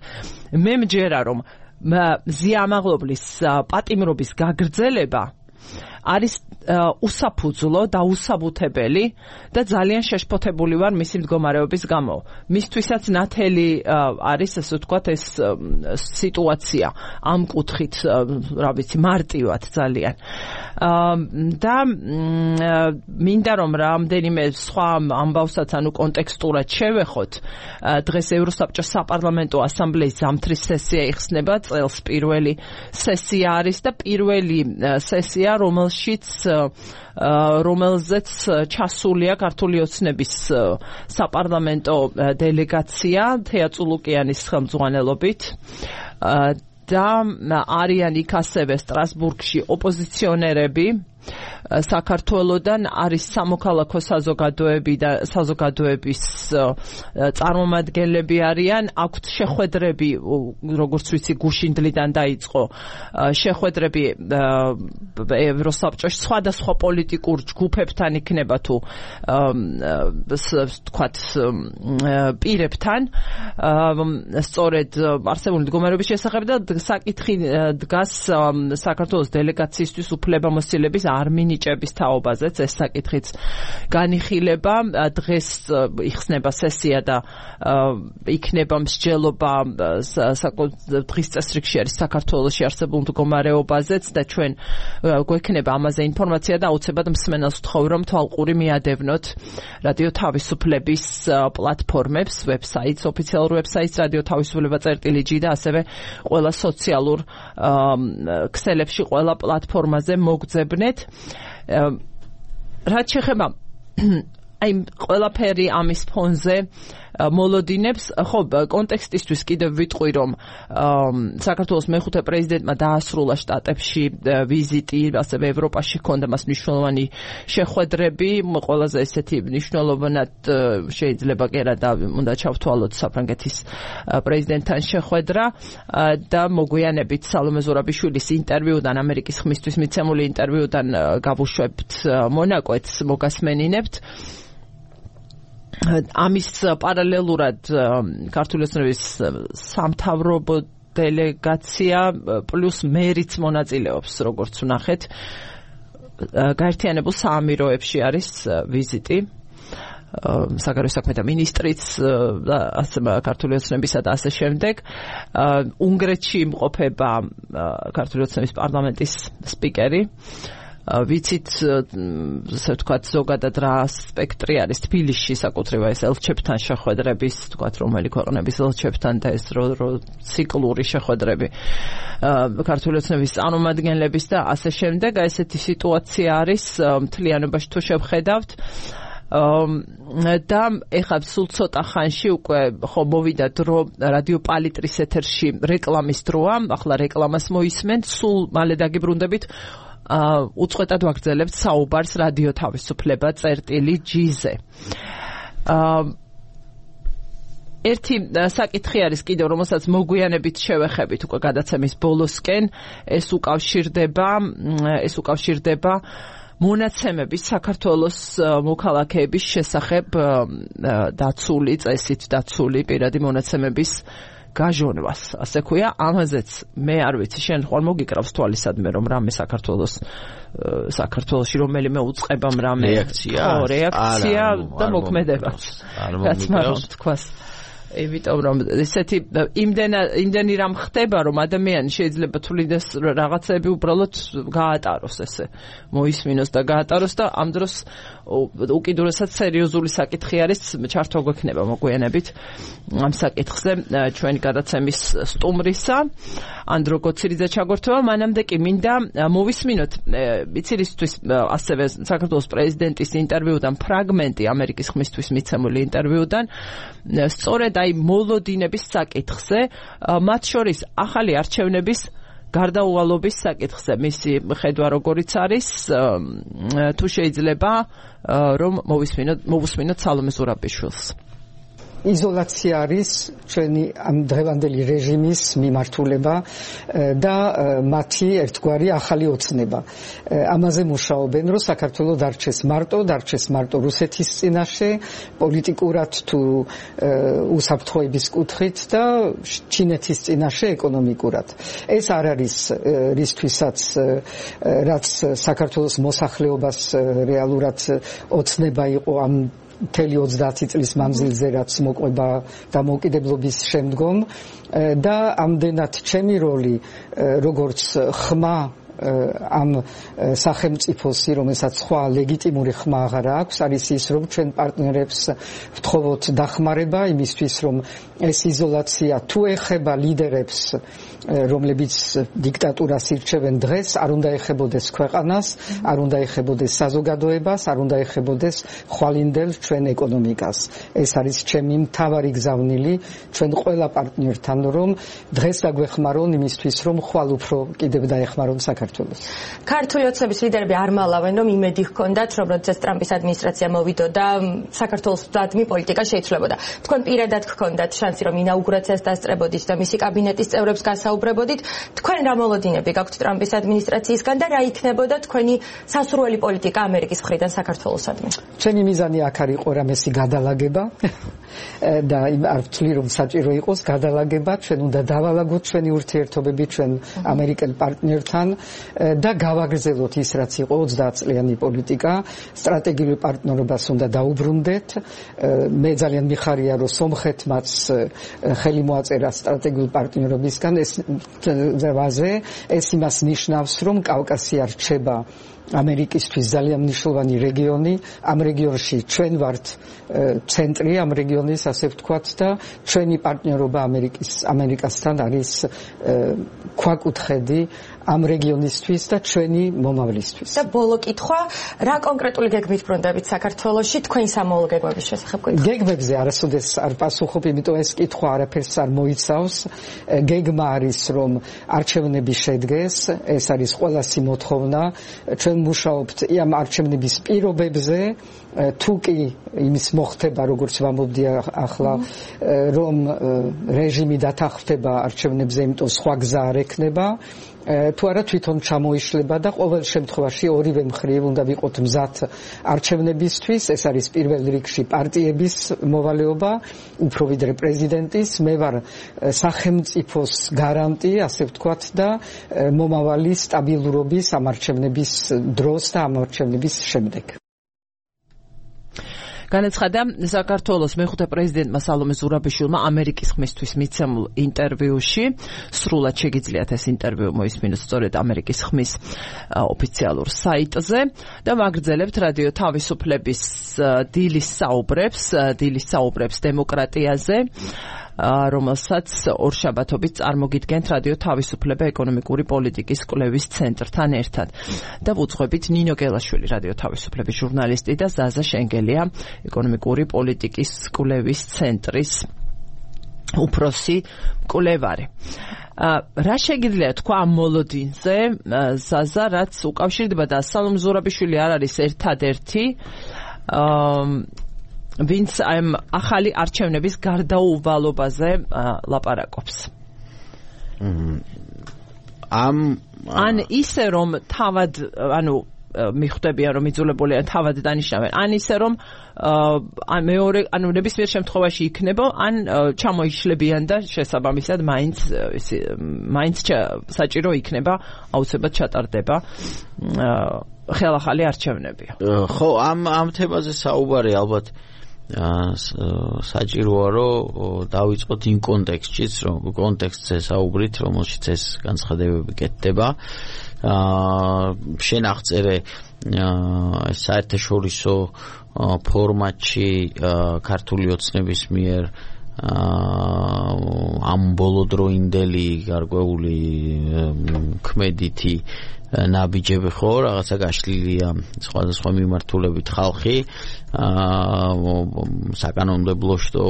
მე მჯერა რომ მზია ამაღლობლის პატიმრობის გაგრძელება არის უსაფუძვლო და უსაბუთებელი და ძალიან შეშფოთებული ვარ მისი მდგომარეობის გამო. მისთვისაც ნათელი არის ასე ვთქვათ ეს სიტუაცია ამ კუთხით რა ვიცი მარტივად ძალიან. და მინდა რომ რამდენიმე სხვა ამბავსაც ანუ კონტექსტურად შევეხოთ. დღეს ევროსაბჭოს საპარლამენტო ასამბლეის ზამთრის სესია იხსნება წელს პირველი სესია არის და პირველი სესია რომელზეც ჩასულია ქართული ოცნების საპარლამენტო დელეგაცია თეა წულუკიანის ხელმძღვანელობით და არიან იქ ასევე სტრასბურგში ოპოზიციონერები საქართველოდან არის სამოქალაქო საზოგადოები და საზოგადოების წარმომადგენლები არიან აქვთ შეხვედრები როგორც ვიცი გუშინდლიდან დაიწყო შეხვედრები ევროსაბჭოში სხვადასხვა პოლიტიკურ ჯგუფებთან იქნება თუ თქვათ პირებთან სწორედ არსებული მდგომარეობის შესახებ და საკითხი დგას საქართველოს დელეგაციისთვის უფლებამოსილების არ მინიჭების თაობაზეც ეს საკითხიც განიხილება დღეს იხსნება სესია და იქნება მსჯელობა დღის წესრიგში არის საქართველოში არსებულ მდგომარეობაზეც და ჩვენ გვექნება ამაზე ინფორმაცია და აუცილებლად მსმენელს ვთხოვ რომ თვალყური მიადევნოთ რადიო თავისუფლების პლატფორმებს ვებსაიტს ოფიციალურ ვებსაიტს რადიო თავისუფლება.gi და ასევე ყველა სოციალურ ქსელებში ყველა პლატფორმაზე მოგძებნეთ რაც შეეხება აი ყველაფერი ამის ფონზე მოლოდინებს. ხო, კონტექსტისთვის კიდევ ვიტყვი, რომ საქართველოს მეხუთე პრეზიდენტმა დაასრულა შტატებში ვიზიტი, ასევე ევროპაში ჰქონდა მას მნიშვნელოვანი შეხვედრები, ყველაზე ესეთი მნიშვნელოვნად შეიძლება კი არა და უნდა ჩავთვალოთ საფრანგეთის პრეზიდენტთან შეხვედრა და მოგვიანებით სალომე ზურაბიშვილის ინტერვიუდან, ამერიკის ხმისთვის მიცემული ინტერვიუდან გავუშვებთ მონაკვეთს, მოგასმენინებთ. ამის პარალელურად ქართული ოცნების სამთავრობო დელეგაცია პლუს მერიც მონაწილეობს, როგორც ვნახეთ. გაერთიანებულ საამიროებში არის ვიზიტი. საგარეო საქმეთა მინისტრიც ქართული ოცნებისა და ასე შემდეგ. უნგრეთში იმყოფება ქართული ოცნების პარლამენტის სპიკერი. ვიცით, ასე ვთქვათ, ზოგადად რა სპექტრი არის თბილისში საკუთრება ეს ელჩებთან შეხვედრების, ვთქვათ, რომელი ქვეყნების ელჩებთან და ეს ციკლური შეხვედრები ქართული ოცნების წარმომადგენლების და ასე შემდეგ. ესეთი სიტუაცია არის მთლიანობაში თუ შევხედავთ. და ეხლა სულ ცოტა ხანში უკვე ხო მოვიდა დრო რადიო პალიტრის ეთერში რეკლამის დროა, ახლა რეკლამას მოისმენთ, სულ მალე დაგიბრუნდებით. უწყვეტად ვაგრძელებთ საუბარს რადიო თავისუფლება წერტილი.gz-ზე. ერთი საკითხი არის კიდევ, რომელსაც მოგვიანებით შევეხებით უკვე გადაცემის ბოლოსკენ, ეს უკავშირდება მონაცემების საქართველოს მოქალაქეების შესახებ დაცული წესით დაცული პირადი მონაცემების გაჟონვას, ასე ქვია. ამაზეც მე არ ვიცი, შენ ხვალ მოგიკრავს თვალისადმე, რომ რამე საქართველოში რომელიმე უწყებამ რამე რეაქცია და მოქმედება. რაც მაგრამ თქვას. იმიტომ რომ ესეთი იმდენი რამ ხდება, რომ ადამიანი შეიძლება თulides რაღაცები უბრალოდ გაატაროს, ესე მოისმინოს და გაატაროს და ამ დროს უკიდურესად სერიოზული საკითხი არის, ჩართვა გვექნება მოგვიანებით ამ საკითხზე ჩვენი გადაცემის სტუმრისა ანდრო კოცირიძე ჩაგორთვება. მანამდე კი მინდა მოვისმინოთ იცილისთვის ასევე საქართველოს პრეზიდენტის ინტერვიუდან ფრაგმენტი, ამერიკის ხმისთვის მიცემული ინტერვიუდან, სწორედ აი მოლოდინების საკითხზე, მათ შორის ახალი არჩევნების გარდაუვალობის საკითხზე. მისი ხედვა როგორიც არის, თუ შეიძლება რომ მოვუსმინოთ სალომე ზურაბიშვილს. იზოლაცია არის ჩვენი ამ დღევანდელი რეჟიმის მიმართულება და მათი ერთგვარი ახალი ოცნება. ამაზე მუშაობენ, რომ საქართველოს დარჩეს მარტო რუსეთის წინაშე, პოლიტიკურად თუ უსაფრთხოების კუთხით და ჩინეთის წინაშე ეკონომიკურად. ეს არ არის რისთვისაც რაც საქართველოს მოსახლეობას რეალურად ოცნება იყო ამ მთელი 30 წლის მანძილზე, რაც მოყვება დამოუკიდებლობის შემდგომ და ამდენად ჩემი როლი როგორც ხმა ამ სახელმწიფოსი, რომელსაც სხვა ლეგიტიმური ხმა აღარ აქვს, არის ის, რომ ჩვენ პარტნიორებს ვთხოვოთ დახმარება იმისთვის, რომ ეს იზოლაცია თუ ეხება ლიდერებს, რომლებიც დიქტატურას ირჩევენ დღეს, არ უნდა ეხებოდეს ქვეყანას, არ უნდა ეხებოდეს საზოგადოებას, არ უნდა ეხებოდეს ხვალინდელ ჩვენ ეკონომიკას. ეს არის ჩემი მთავარი გზავნილი ჩვენ ყველა პარტნიორთან, რომ დღეს დაგვეხმარონ იმისთვის, რომ ხვალ უფრო კიდევ დაეხმარონ საქართველოს. ქართული ოცნების ლიდერები არ მალავენ, რომ იმედი ჰქონდათ, რომ როდესაც ტრამპის ადმინისტრაცია მოვიდოდა, საქართველოს მუდმივი პოლიტიკა შეიცვლებოდა. თქვენ პირადად ჰქონდათ შანსი, რომ ინაუგურაციას დასწრებოდით და მისი კაბინეტის წევრებს გასაუბრებოდით. თქვენ რა მოლოდინები გაქვთ ტრამპის ადმინისტრაციისგან და რა იქნებოდა თქვენი სასურველი პოლიტიკა ამერიკის მხრიდან საქართველოსადმი? ჩვენი მიზანი აქ არ იყო რამესი გადალაგება და არ ვთვლი, რომ საჭირო იყოს გადალაგება, ჩვენ უნდა დავალაგოთ ჩვენი ურთიერთობები ჩვენ ამერიკელ პარტნიორთან და გავაგრძელოთ ის, რაც იყო 30 წლიანი პოლიტიკა, სტრატეგიულ პარტნიორობას უნდა დაუბრუნდეთ. მე ძალიან მიხარია, რომ სომხეთმაც ხელი მოაწერა სტრატეგიულ პარტნიორობისგან, ეს იმას ნიშნავს, რომ კავკასია რჩება ამერიკისთვის ძალიან მნიშვნელოვანი რეგიონი. ამ რეგიონში ჩვენ ვართ ცენტრი ამ რეგიონის, ასე ვთქვათ, და ჩვენი პარტნიორობა ამერიკასთან არის ქვაკუთხედი ამ რეგიონისთვის და ჩვენი მომავლისთვის. და ბოლო კითხვა, რა კონკრეტული გეგმით ბრუნდებით საქართველოში თქვენი სამოვალო გეგმების შესახებ გითხრათ? გეგმებზე არასოდეს არ პასუხობ, იმიტომ ეს კითხვა არაფერს არ მოიცავს. გეგმა არის, რომ არჩევნები შედგეს, ეს არის ყველასი მოთხოვნა. ჩვენ მუშაობთ ამ არჩევნების პირობებზე, თუ კი იმის მოხდება, როგორც ვამბობდი ახლა, რომ რეჟიმი დათანხმდება არჩევნებზე, იმიტომ სხვა გზა არ ექნება. თუ არა თვითონ ჩამოიშლება და ყოველ შემთხვევაში ორივე მხრივ უნდა ვიყოთ მზად არჩევნებისთვის. ეს არის პირველ რიგში პარტიების მოვალეობა, უფრო ვიდრე პრეზიდენტის. მე ვარ სახელმწიფოს გარანტი, ასე ვთქვათ, და მომავალი სტაბილურობის ამ არჩევნების დროს და ამ არჩევნების შემდეგ. განაცხადა საქართველოს მეხუთე პრეზიდენტმა სალომე ზურაბიშვილმა ამერიკის ხმისთვის მიცემულ ინტერვიუში. სრულად შეგიძლიათ ეს ინტერვიუ მოისმინოთ სწორედ ამერიკის ხმის ოფიციალურ საიტზე და მაგრძელებთ რადიო თავისუფლების დილის საუბრებს დემოკრატიაზე, რომელსაც ორშაბათობით წარმოგიდგენთ რადიო თავისუფლება ეკონომიკური პოლიტიკის კვლევის ცენტრთან ერთად. და ვუძღვებით ნინო გელაშვილი, რადიო თავისუფლების ჟურნალისტი და ზაზა შენგელია, ეკონომიკური პოლიტიკის კვლევის ცენტრის უფროსი მკვლევარი. რა შეგიძლია თქვა ამ მოლოდინზე, ზაზა, რაც უკავშირდება და სალომე ზურაბიშვილი არ არის ერთადერთი ვინც ამ ახალი არჩევნების გარდაუვალობაზე ლაპარაკობს. ან ისე რომ თავად, მიხვდებიან რომ იძულებულია თავად დანიშნავენ, ან ისე რომ მეორე, ნებისმიერ შემთხვევაში იქნება, ან ჩამოიშლებიან და შესაბამისად მაინც საჭირო იქნება, აუცილებლად ჩატარდება ხელახალი არჩევნები. ხო, ამ თემაზე საუბარი ალბათ საჭიროა რომ დავიწყოთ იმ კონტექსტზე საუბრით, რომელშიც ეს განცხადებები კეთდება. შენ აღწერე საერთაშორისო ფორმატში ქართული ოცნების მიერ ამ ბოლოდროინდელი გარკვეული ქმედითი ნაბიჯები ხო რაღაცა გაშლილია სხვადასხვა მიმართულებით ხალხი საკანონმდებლო შტო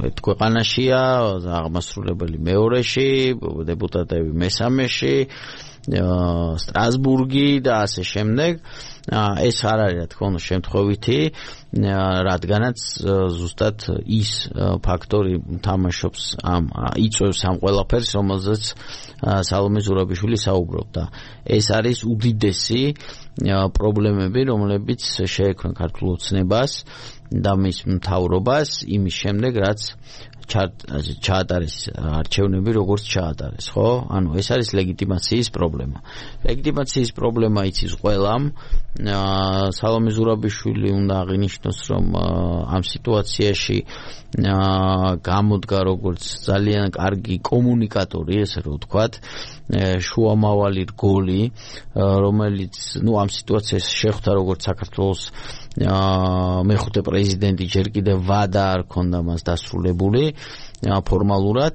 ერთ ქვეყანაშია, აღმასრულებელი მეორეში, დეპუტატები მესამეში, სტრასბურგი და ასე შემდეგ. ეს არ არის რა თქმა უნდა შემთხვევითი, რადგანაც ზუსტად ის ფაქტორი თამაშობს იწვევს ამ ყველაფერს, რომელზეც სალომე ზურაბიშვილი საუბრობდა. ეს არის უდიდესი პრობლემები, რომლებიც შეექმნა ქართულ ოცნებას და მის მთავრობას იმის შემდეგ, რაც ჩაატარეს არჩევნები, როგორც ჩაატარეს, ხო? ანუ ეს არის ლეგიტიმაციის პრობლემა. ლეგიტიმაციის პრობლემა იცის ყველამ. სალომე ზურაბიშვილი უნდა აღინიშნოს, რომ ამ სიტუაციაში გამოდგა როგორც ძალიან კარგი კომუნიკატორი, ესე რომ ვთქვათ, შუამავალი რგოლი, რომელიც ამ სიტუაციას შეხვდა როგორც საქართველოს მეხუთე პრეზიდენტი, ჯერ კიდევ ვადა არ ქონდა მას დასრულებული ფორმალურად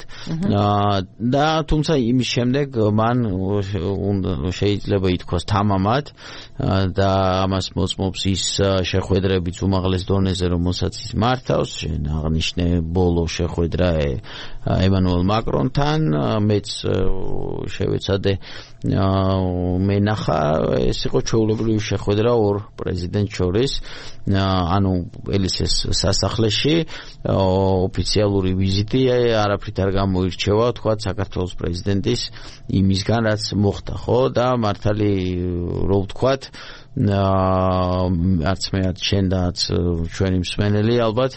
და თუმცა იმის შემდეგ მან შეიძლება ითქვას თამამად და ამას მოწმობს ის შეხვედრებიც უმაღლეს დონეზე, რომელსაც ის მართავს. შენ აღნიშნე ბოლო შეხვედრა ემანუელ მაკრონთან, მეც შევეცადე მენახა, ეს იყო ჩვეულებრივი შეხვედრა ორ პრეზიდენტს შორის, ანუ ელისეს სასახლეში, ოფიციალური ვიზიტი არაფრით არ გამოირჩევა, თქვა საქართველოს პრეზიდენტის იმისგან, რაც მოხდა, ხო? და მართალი რო ვთქვათ, არც მე არც შენ და არც ჩვენი მსმენელი ალბათ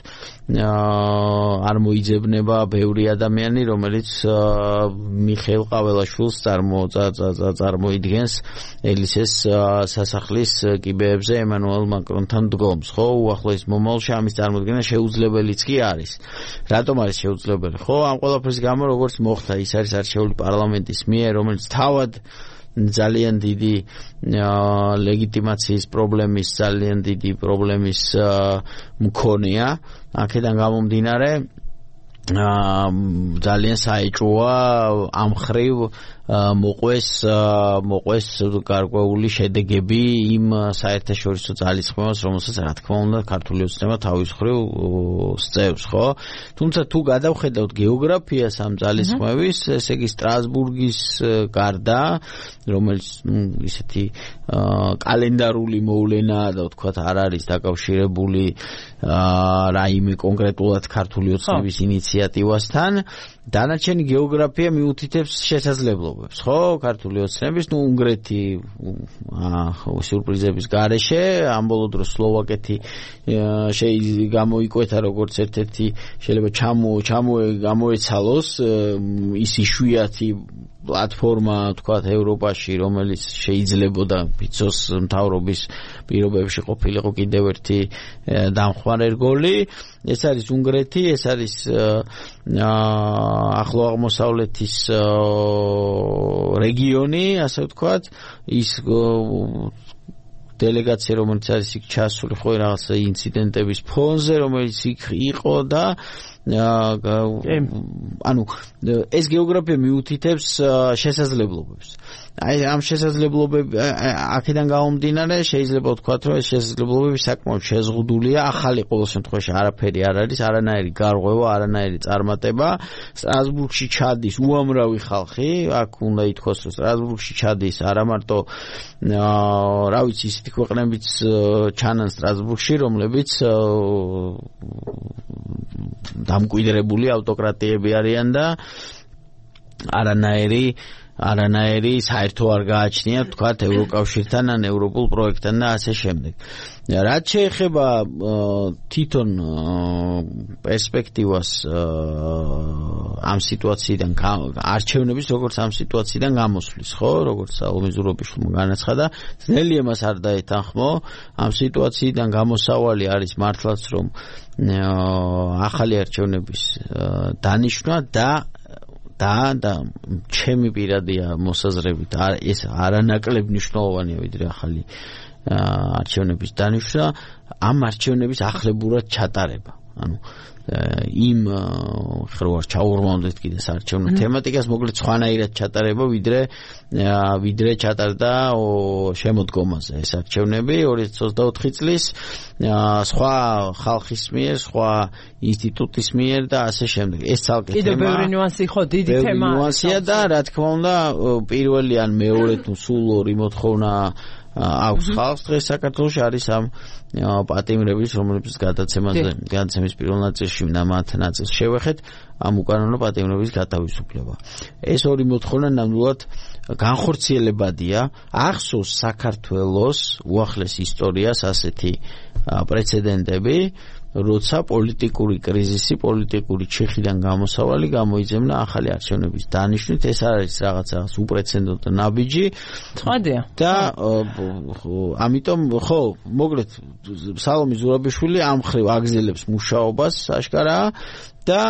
არ მოიძებნება ბევრი ადამიანი, რომელიც მიხეილ ყაველაშვილს წარმოიდგენს ელისეს სასახლის კიბეებზე ემანუელ მაკრონთან დგომს, ხო? უახლოეს მომავალში ამის წარმოდგენა შეუძლებელიც კი არის. რატომ არის შეუძლებელი? ხო, ამ ყველაფრის გამო, როგორც მოხდა, ის არის არჩეული პარლამენტის მიერ, რომელიც თავად ძალიან დიდი ლეგიტიმაციის პრობლემის, ძალიან დიდი პრობლემის მქონეა. აქედან გამომდინარე ძალიან საეჭვოა ამ ხრივ მოყვეს გარკვეული შედეგები იმ საერთაშორისო ძალისხმევას, რომელსაც რა თქმა უნდა ქართული ოცნება თავის მხრივ სწევს, ხო? თუმცა თუ გადავხედავთ გეოგრაფიას ამ ძალისხმევის, ესე იგი სტრასბურგის გარდა, რომელიც ისეთი კალენდარული მოვლენაა და ვთქვათ არ არის დაკავშირებული რაიმე კონკრეტულად ქართული ოცნების ინიციატივასთან, დანარჩენი გეოგრაფია მიუთითებს შესაძლებლობებს, ხო? ქართული ოცნების, უნგრეთი სიურპრიზების გარეშე, ამ ბოლო დროს სლოვაკეთი გამოიკვეთა როგორც ერთ-ერთი შეიძლება გამოეცალოს ის იშვიათი პლატფორმა, თქვათ, ევროპაში, რომელიც შეიძლებოდა ფიცოს მთავრობის პირობებში ყოფილიყო კიდევ ერთი დამხმარე რგოლი. ეს არის უნგრეთი, ეს არის ახლო აღმოსავლეთის რეგიონი, ასე ვთქვათ, ის დელეგაცია, რომელიც არის იქ ჩასული ხო რაღაც ინციდენტების ფონზე, რომელიც იქ იყო და ანუ ეს გეოგრაფია მიუთითებს შესაძლებლობებს. აი ამ შესაძლებლობები აქედან გამომდინარე შეიძლება ვთქვათ, რომ ეს შესაძლებლობები საკმაოდ შეზღუდულია, ახალი ყოველ შემთხვევაში არაფერი არ არის, არანაირი გარღვევა, არანაირი წარმატება. სტრასბურგში ჩადის უამრავი ხალხი, აქ უნდა ითქვას, რომ სტრასბურგში ჩადის არა მარტო რა ვიცი ისეთი ქვეყნებიც ჩანან სტრასბურგში, რომლებიც დამკვიდრებული ავტოკრატიები არიან და არანაირი საერთო არ გააჩნიათ, თქვათ, ევროკავშირთან ან ევროპულ პროექტთან და ასე შემდეგ. რაც შეეხება თვითონ პერსპექტივას ამ სიტუაციიდან არჩევნების როგორც ამ სიტუაციიდან გამოსვლის, ხო, როგორც სალომე ზურაბიშვილმა განაცხადა, ძნელია მას არ დაეთანხმო, ამ სიტუაციიდან გამოსავალი არის მართლაც რომ ახალი არჩევნების დანიშვნა და ჩემი პირადია მოსაზრებით ეს არანაკლებ მნიშვნელოვანია ვიდრე ახალი არჩევნების დანიშვნა, ამ არჩევნების ახლებურად ჩატარება. ანუ იმ ხარ ჩაურმავდეთ კიდე საარჩევნო თემატიკას, მოკლედ სხვანაირად ჩატარება ვიდრე ჩატარდა შემოდგომაზე ეს არჩევნები 2024 წლის სხვა ხალხის მიერ, სხვა ინსტიტუტის მიერ და ასე შემდეგ. ეს ცალკე თემა. კიდევ ბევრი ნიუანსი ხო, დიდი თემა. ნიუანსია და რა თქმა უნდა პირველი ან მეორე თუ სულ ორი მოთხოვნა აქვს ხალხს დღეს საქართველოში არის ამ პატიმრების, რომლებიც გადაცემის პირველ ნაწილში და მათ ნაწილს შევეხეთ ამ უკანონო პატიმრების გათავისუფლება. ეს ორი მოთხოვნა ნამდვილად განხორციელებადია. ახსოვს საქართველოს უახლეს ისტორიას ასეთი პრეცედენტები, როცა პოლიტიკური კრიზისი, პოლიტიკური ჩიხიდან გამოსავალი გამოიძებნა ახალი არჩევნების დანიშვნით. ეს არის რაღაცა უპრეცედენტო ნაბიჯი. ცხადია. და ამიტომ ხო, მოკლედ სალომე ზურაბიშვილი ამ ხრივ აგზელებს მუშაობას აშკარაა და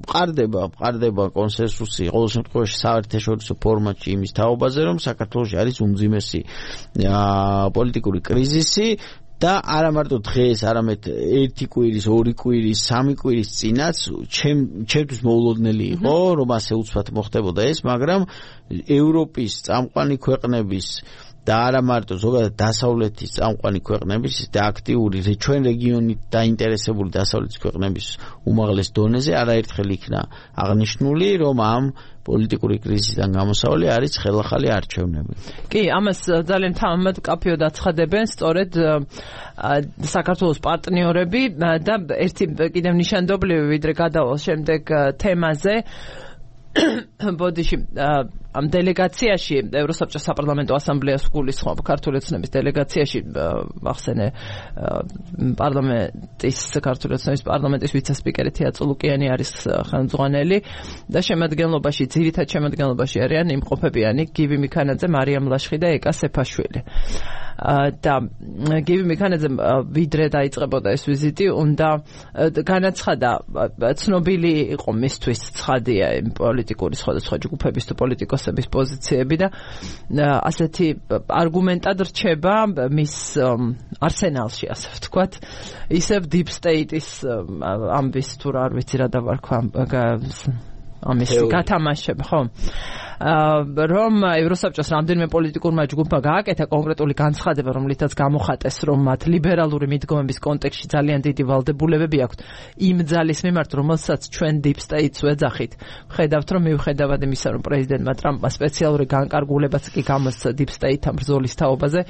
ყარდება კონსენსუსი ყოველ შემთხვევაში საერთაშორისო ფორმატში იმის თაობაზე, რომ საქართველოში არის უმძიმესი პოლიტიკური კრიზისი. და არა მარტო დღეს, არამედ ერთი კვირის, ორი კვირის, სამი კვირის წინაც ჩემთვის მოულოდნელი იყო, რომ ასე უცბად მოხდებოდა ეს, მაგრამ ევროპის წამყვანი ქვეყნების და არა მარტო ზოგადად დასავლეთის წამყვანი ქვეყნების და აქტიური ჩვენ რეგიონით დაინტერესებული დასავლეთის ქვეყნების უმაღლეს დონეზე არაერთხელ იქნა აღნიშნული, რომ ამ პოლიტიკური კრიზისიდან გამოსავალი არის ხელახალი არჩევნები. კი, ამას ძალიან თამამად კაფეოდ აცხადებენ სწორედ საქართველოს პარტნიორები და ერთი კიდევ ნიშანდობლივი ვიდრე გადავალ შემდეგ თემაზე ბოდიში ამ დელეგაციაში ევროსაბჭოს საპარლამენტო ასამბლეას გულისხმობ ქართული ოცნების დელეგაციაში ახსენე პარლამენტის ქართული ოცნების პარლამენტის ვიცე-სპიკერი თეატრო ლუკიანი არის ხელმძღვანელი და შემადგენლობაში ძირითად შემადგენლობაში არიან იმყოფებიანი გივი მიქანაძე, მარიამ ლაშხი და ეკა სეფაშვილი. და გივი მიქანაძე ვიდრე დაიწყებოდა ეს ვიზიტი უნდა განაცხადა ცნობილი იყო მისთვის ცხადია პოლიტიკური სხვადასხვა ჯგუფების თუ პოლიტიკოსების პოზიციები და ასეთი არგუმენტად რჩება მის არსენალში ასე ვთქვათ ისევ deep state-ის ამბის თუ რა არ ვიცი რა დავარქვა ამის გათამაშება ხო რომ ევროსაბჭოს რამდენიმე პოლიტიკურმა ჯგუფმა გააკეთა კონკრეტული განცხადება, რომლითაც გამოხატეს, რომ მათ ლიბერალური მიდგომების კონტექსტში ძალიან დიდი ვალდებულებები აქვთ იმ ძალის მიმართ, რომელსაც ჩვენ deep state-ს ვეძახით. ხედავთ, რომ მიუხედავად იმისა, რომ პრეზიდენტმა ტრამპმა სპეციალური განკარგულებაც კი გამოსცა deep state-თან ბრძოლის თაობაზე,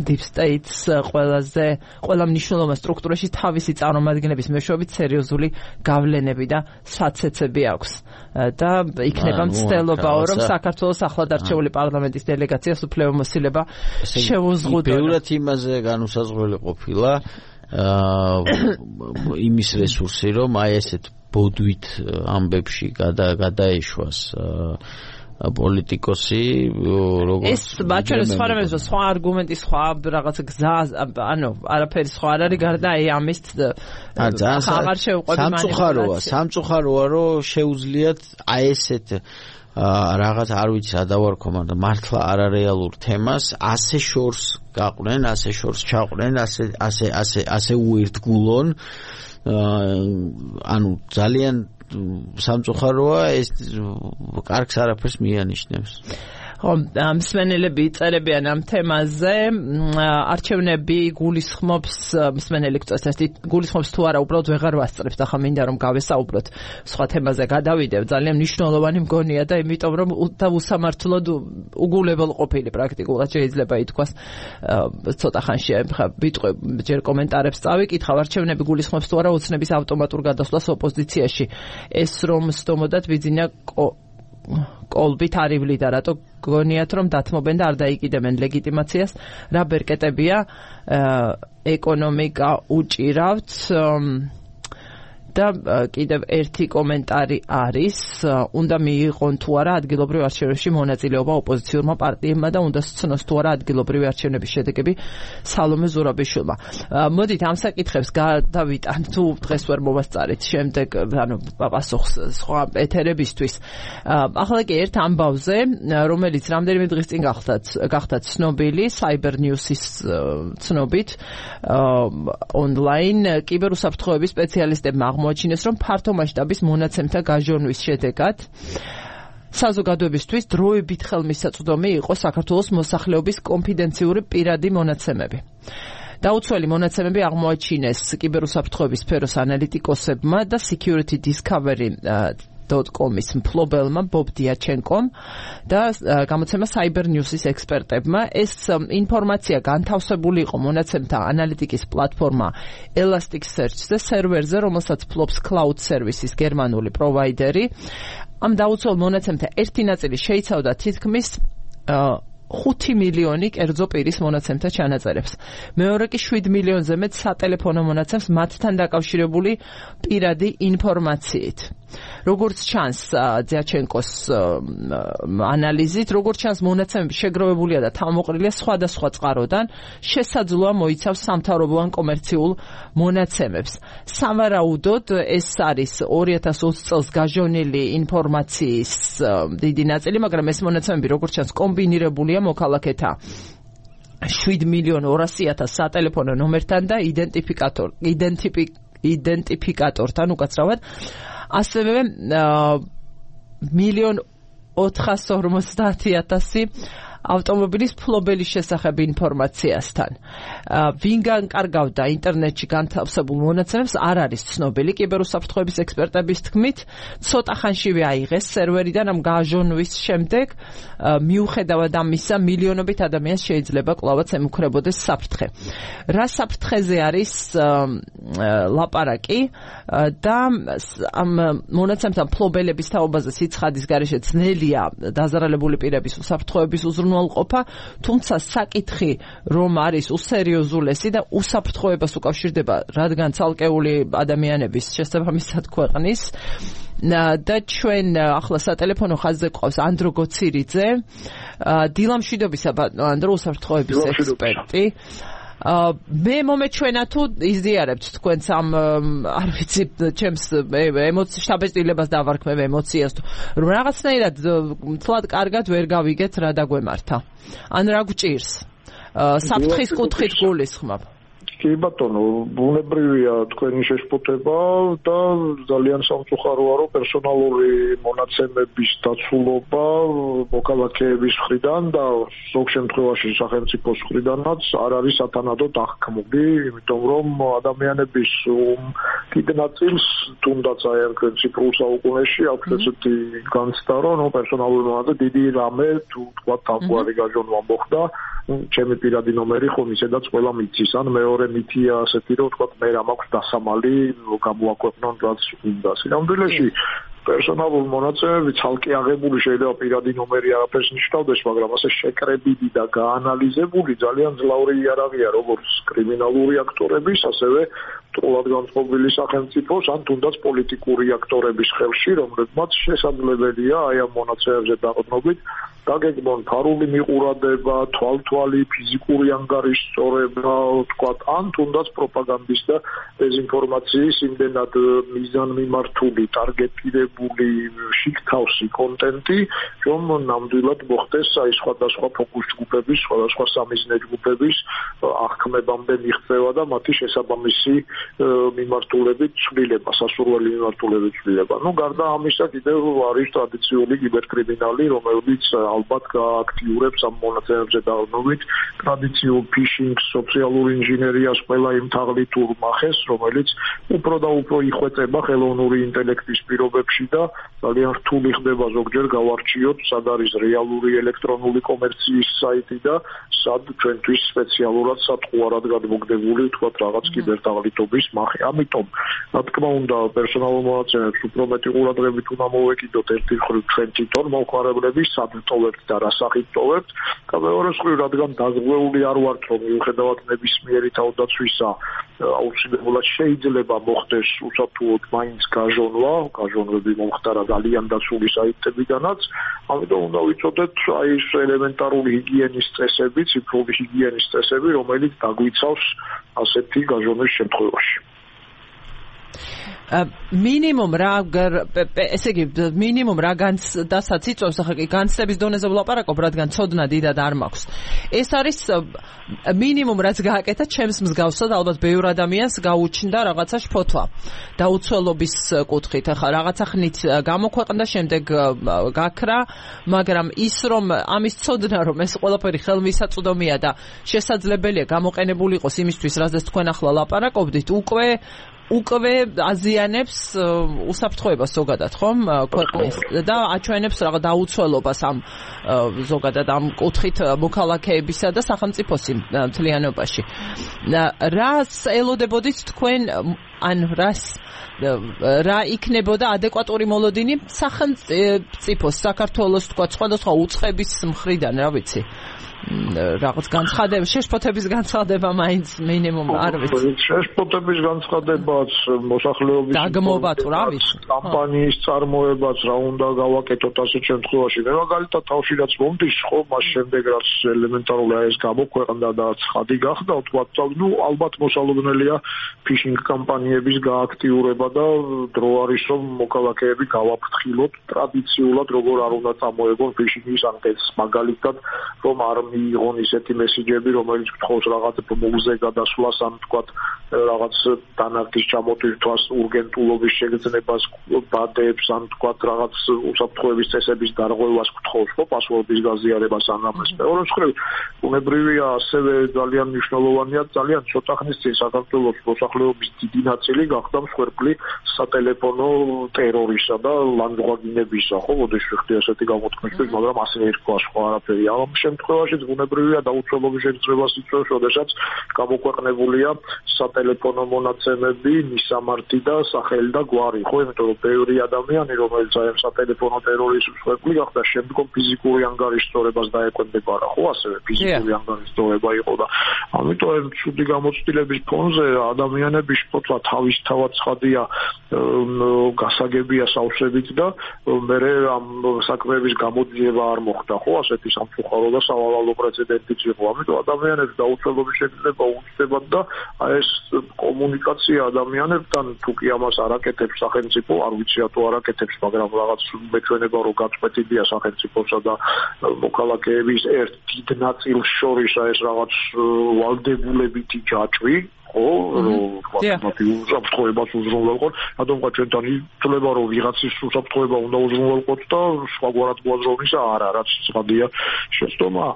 deep state-ს ყველა მნიშვნელოვან სტრუქტურაში თავისი წარმომადგენლების მეშვეობით სერიოზული გავლენები და საცეცები აქვს. და იქნება მცდელობაო, რომ საქართველოს ახლად არჩეული პარლამენტის დელეგაციას უფლებამოსილება შეუზღუდოს. ბევრად იმაზე განუსაზღვრელი ყოფილა იმის რესურსი, რომ აი ესეთ ბოდვით ამბებში გადაეშვას პოლიტიკოსი როგორც ეს ბაჩონის სხვა არგუმენტი სხვა რაღაცა გზა არაფერი სხვა არ არის გარდა აი ამის ხამარ შეუყვები სამწუხაროა რომ შეუძლიათ აი ესეთ რაღაც არ ვიცი სადავარქომა და მართლა არარეალურ თემას ასე შორს გაყვნენ, ასე შორს ჩაყვნენ, ასე უერთგულონ ანუ ძალიან სამწუხაროა ეს კარგს არაფერს მიანიშნებს. ხო, მსმენელები იწერებიან ამ თემაზე, არჩევნები გულისხმობს მსმენელი გულისხმობს თუ არა, უბრალოდ ვეღარ ვასწრებთ, ახლა მინდა რომ გავესაუბროთ სხვა თემაზე გადავიდევ, ძალიან მნიშვნელოვანი მგონია და იმიტომ რომ უსამართლოდ უგულებელ ყოფილი პრაქტიკულად შეიძლება ითქვას ცოტა ხანში ვიტყვე ჯერ კომენტარებს წავიკითხავ, არჩევნები გულისხმობს თუ არა ოცნების ავტომატურ გადასვლას ოპოზიციაში, ეს რომ სდომოდათ ბიძინა კოლბით არივლიდა, რატო გონიათ რომ დათმობენ და არ დაიკიდებენ ლეგიტიმაციას, რა ბერკეტებია ეკონომიკა უჭირავთ და კიდევ ერთი კომენტარი არის, უნდა მიიღონ თუ არა ადგილობრივ არჩევნებში მონაწილეობა ოპოზიციურმა პარტიებმა და უნდა სცნოს თუ არა ადგილობრივი არჩევნების შედეგები სალომე ზურაბიშვილმა. მოდით ამ საკითხებს გადავიტან თუ დღეს ვერ მოვასწარეთ შემდეგ პასუხს სხვა ეთერებისთვის. ახლა კი ერთ ამბავზე, რომელიც რამდენიმე დღის წინ გახდა ცნობილი Cyber News-ის ცნობით ონლაინ კიბერუსაფრთხოების სპეციალისტებმა აღმოაჩინეს, რომ ფართო მასშტაბის მონაცემთა გაჟონვის შედეგად საზოგადოებისთვის დროებით ხელმისაწვდომი იყო საქართველოს მოსახლეობის კონფიდენციური პირადი მონაცემები. დაუცველი მონაცემები აღმოაჩინეს კიბერუსაფრთხოების სფეროს ანალიტიკოსებმა და Security Discovery .com-ის მფლობელმა ბობ დიაჩენკომ და გამოცემა Cyber News-ის ექსპერტებმა. ეს ინფორმაცია განთავსებული იყო მონაცემთა ანალიტიკის პლატფორმა Elasticsearch-ზე სერვერზე, რომელსაც ფლობს Cloud Services გერმანული პროვაიდერი. ამ დაუცველ მონაცემთა ერთი ნაწილი შეიცავდა თითქმის 5 მილიონი კერძო პირის მონაცემთა ჩანაწერებს. მეორე კი 7 მილიონზე მეტ სატელეფონო მონაცემს მათთან დაკავშირებული პირადი ინფორმაციით. როგორც ჩანს დიაჩენკოს ანალიზით, როგორც ჩანს მონაცემები შეგროვებულია და თავმოყრილია სხვადასხვა წყაროდან, შესაძლოა მოიცავს სამთავრობო ან კომერციულ მონაცემებს. სავარაუდოდ ეს არის 2020 წელს გაჟონილი ინფორმაციის დიდი ნაწილი, მაგრამ ეს მონაცემები როგორც ჩანს კომბინირებულია მოქალაქეთა 7.200.000 სატელეფონო ნომერთან და იდენტიფიკატორთან უკაცრავად, ასევე 1.450.000 ავტომობილის ფლობელის შესახებ ინფორმაციასთან. ვინ განკარგავდა ინტერნეტში განთავსებულ მონაცემებს არ არის ცნობილი. კიბერუსაფრთხოების ექსპერტების თქმით, ცოტა ხანშივე აიღეს სერვერიდან ამ გაჟონვის შემდეგ, მიუხედავად ამისა, მილიონობით ადამიანს შეიძლება კვლავაც ემუქრებოდეს საფრთხე. რა საფრთხეზე არის ლაპარაკი და ამ მონაცემთა ფლობელების თაობაზე სიცხადის გარეშე ძნელია დაზარალებული პირების უსაფრთხოების უზრუნველყოფა, თუმცა საკითხი რომ არის უსერიოზულესი და უსაფრთხოებას უკავშირდება, რადგან ცალკეული ადამიანების შესაბამისად ქვეყნის და ჩვენ ახლა სატელეფონო ხაზზე ყავს ანდრო გოცირიძე, დილამშვიდობისა ანდრო უსაფრთხოების ექსპერტი. მე მომეჩვენა თუ იზიარებთ თქვენს ამ არ ვიცი ჩემს შთაბეჭდილებას დავარქმევ ემოციას თუ რომ რაღაცნაირად თლად კარგად ვერ გავიგეთ რა დაგვემართა ან რა გვჭირს საფრთხის კუთხით გულისხმობ. კი ბატონო, ბუნებრივია თქვენი შეშფოთება და ძალიან სამწუხაროა, რომ პერსონალური მონაცემების დაცულობა მოქალაქეების მხრიდან და ზოგ შემთხვევაში სახელმწიფოს მხრიდანაც არ არის სათანადოდ აღქმული, იმიტომ რომ ადამიანების დიდ ნაწილს თუნდაც აი ამ ციფრულ საუკუნეში აქვს ესეთი განცდა, რომ პერსონალური მონაცემები დიდი რამე თუ თქვა თავგვარი გაჟონვა მოხდა, ჩემი პირადი ნომერი ხომ ისედაც ყველა მიცის, ან მეორე მითია ასეთი, რომ თქვა მე რა მაქვს დასამალი გამოაქვეყნონ რაც უნდა. სინამდვილეში პერსონალური მონაცემები ცალკე აღებული შეიძლება პირადი ნომერი არაფერს ნიშნავდეს, მაგრამ ასე შეკრებილი და გაანალიზებული ძალიან ძლავრი იარაღია როგორც კრიმინალური აქტორების, ასევე მტრულად განწყობილი სახელმწიფოს ან თუნდაც პოლიტიკური აქტორების ხელში, რომლებმაც შესაძლებელია აი ამ მონაცემებზე დაყრდნობით დაგეგმონ ფარული მიყურადება, თვალთვალი, ფიზიკური ანგარიშწორება, თქვათ, ან თუნდაც პროპაგანდის და დეზინფორმაციის იმდენად მიზანმიმართული, ტარგეტირებული შიგთავსი კონტენტი, რომ ნამდვილად მოხდეს აი სხვადასხვა ფოკუს ჯგუფების, სხვადასხვა სამიზნე ჯგუფების აღქმებამდე მიღწევა და მათი შესაბამისი მიმართულებით ცვლილება, სასურველი მიმართულებით ცვლილება. ნუ გარდა ამისა კიდევ არის ტრადიციული კიბერკრიმინალი, რომელიც ალბათ გააქტიურებს ამ მონაცემებზე დაყრდნობით ტრადიციულ ფიშინგს, სოციალურ ინჟინერიას, ყველა იმ თაღლითურ მახეს, რომელიც უფრო და უფრო იხვეწება ხელოვნური ინტელექტის პირობებში და ძალიან რთული ხდება ზოგჯერ გავარჩიოთ, სად არის რეალური ელექტრონული კომერციის საიტი და სად ჩვენთვის სპეციალურად სატყუარად გადმოგდებული, თქვათ, რაღაც კიბერთაღლითობის მახე. ამიტომ, რა თქმა უნდა, პერსონალურ მონაცემებს უფრო მეტი ყურადღებით უნდა მოვეკიდოთ ერთი მხრივ ჩვენ თვითონ მომხმარებლები, სად ტოვებთ და რა სახით ტოვებთ და მეორე მხრივ, რადგან დაზღვეული არ ვართ, რომ მიუხედავად ნებისმიერი თავდაცვისა, აუცილებლად შეიძლება მოხდეს უსაფრთხოდ მაინც გაჟონვები მომხდარა ძალიან დაცული საიტებიდანაც, ამიტომ უნდა ვიცოდეთ აი ეს ელემენტარული ჰიგიენის წესები, ციფრული ჰიგიენის წესები, რომელიც დაგვიცავს ასეთი გაჟონვის შემთხვევაში. მინიმუმ რა ესე იგი მინიმუმ რა განცდასაც იწვევს, ახლა კი განცდების დონეზე ვლაპარაკობ, რადგან ცოდნა დიდად არ მაქვს. ეს არის მინიმუმ რაც გააკეთა ჩემს მსგავსად, ალბათ ბევრ ადამიანს გაუჩნდა რაღაცა შფოთვა დაუცველობის კუთხით. ახლა რაღაცა ხნით გამოქვეყნდა, შემდეგ გაქრა, მაგრამ ის რომ ამის ცოდნა რომ ეს ყველაფერი ხელმისაწვდომია და შესაძლებელია გამოყენებული იყოს იმისთვის, რაზეც თქვენ ახლა ლაპარაკობდით, უკვე აზიანებს უსაფრთხოებას ზოგადად, ხომ, ქვეყნის და აჩვენებს რაღაც დაუცველობას ამ ზოგადად ამ კუთხით მოქალაქეებისა და სახელმწიფოს მთლიანობაში. რას ელოდებოდით თქვენ, ან რა იქნებოდა ადეკვატური მოლოდინი სახელმწიფოს, საქართველოს, თქვა, სხვადასხვა უწყების მხრიდან, რა ვიცი? რაღაც განცხადება, შეშფოთების განცხადება მაინც მინიმუმ არ ვიცი. შეშფოთების განცხადებაც, მოსახლეობის დაგმობა თუ რა ვიცი. კამპანიის წარმოებაც რა უნდა გავაკეთოთ ასეთ შემთხვევაში. მე მაგალითად თავში რაც მომდის, ხო, მას შემდეგ რაც ელემენტარული ეს გამოქვეყნდა და ცხადი გახდა, ვთქვათ, ნუ ალბათ მოსალოდნელია ფიშინგ კამპანიების გააქტიურება და დრო არის რომ მოქალაქეები გავაფრთხილოთ ტრადიციულად, როგორ არ უნდა წამოეგონ ფიშინგის ანკეტს, მაგალითად, რომ არ მიიღონ ისეთი მესიჯები, რომელიც გთხოვს რაღაც მუზე გადასვლას, ან თქვათ რაღაც დანართის ჩამოტვირთვას, урგენტულობის შეგრძნებას, ბადებს, ან თქვათ რაღაც უსაფრთხოების წესების დარღვევას გთხოვს, ხო, პასვორდის გაზიარებას ან ამას. მეორე მხრივ, ბუნებრივია ასევე ძალიან მნიშვნელოვანია, ძალიან ცოტა ხნის წინ საქართველოს მოსახლეობის დიდი ნაწილი გახდა მსხვერპლი სატელეფონო ტერორისა და ლანძღვაგინებისა, ხო, მოდი შევხვდი ასეთი გამოთქმისთვის, მაგრამ ასე ერქვა სხვა არაფერი. ამ შემთხვევაში ბუნებრივია დაუცველობის შეგრძნებას იწვევს, როდესაც გამოქვეყნებულია სატელეფონო მონაცემები, მისამართი და სახელი და გვარი, ხო, იმიტომ რომ ბევრი ადამიანი, რომელიც აი ამ სატელეფონო ტერორის მსხვერპლი გახდა, შემდგომ ფიზიკური ანგარიშწორებას დაეკვემდებარა, ხო, ასევე ფიზიკური ანგარიშწორება იყო და ამიტომ ეს ცუდი გამოცდილების ფონზე ადამიანების შფოთვა თავისთავად ცხადია, გასაგებია სავსებით და მე ამ საქმეების გამოძიება არ მოხდა, ხო, ასეთი სამწუხარო და სავალალო პრეცედენტიც იყო. ამიტომ ადამიანებს დაუცველობის შეგრძნება უჩნდებათ და აი ეს კომუნიკაცია ადამიანებთან თუ კი ამას არ აკეთებს სახელმწიფო, არ ვიცი რატო არ აკეთებს, მაგრამ რაღაც მეჩვენება რომ გაწყვეტილია სახელმწიფოსა და მოქალაქეების ერთ დიდ ნაწილს შორის ეს რაღაც ვალდებულებითი ჯაჭვი, ხო, მათი უსაფრთხოებას უზრუნველყოთ, რადგან ჩვენთან ითვლება, რომ ვიღაცის უსაფრთხოება უნდა უზრუნველყოთ და სხვაგვარად მოაზროვნისა არა, რაც ცხადია შეცდომა.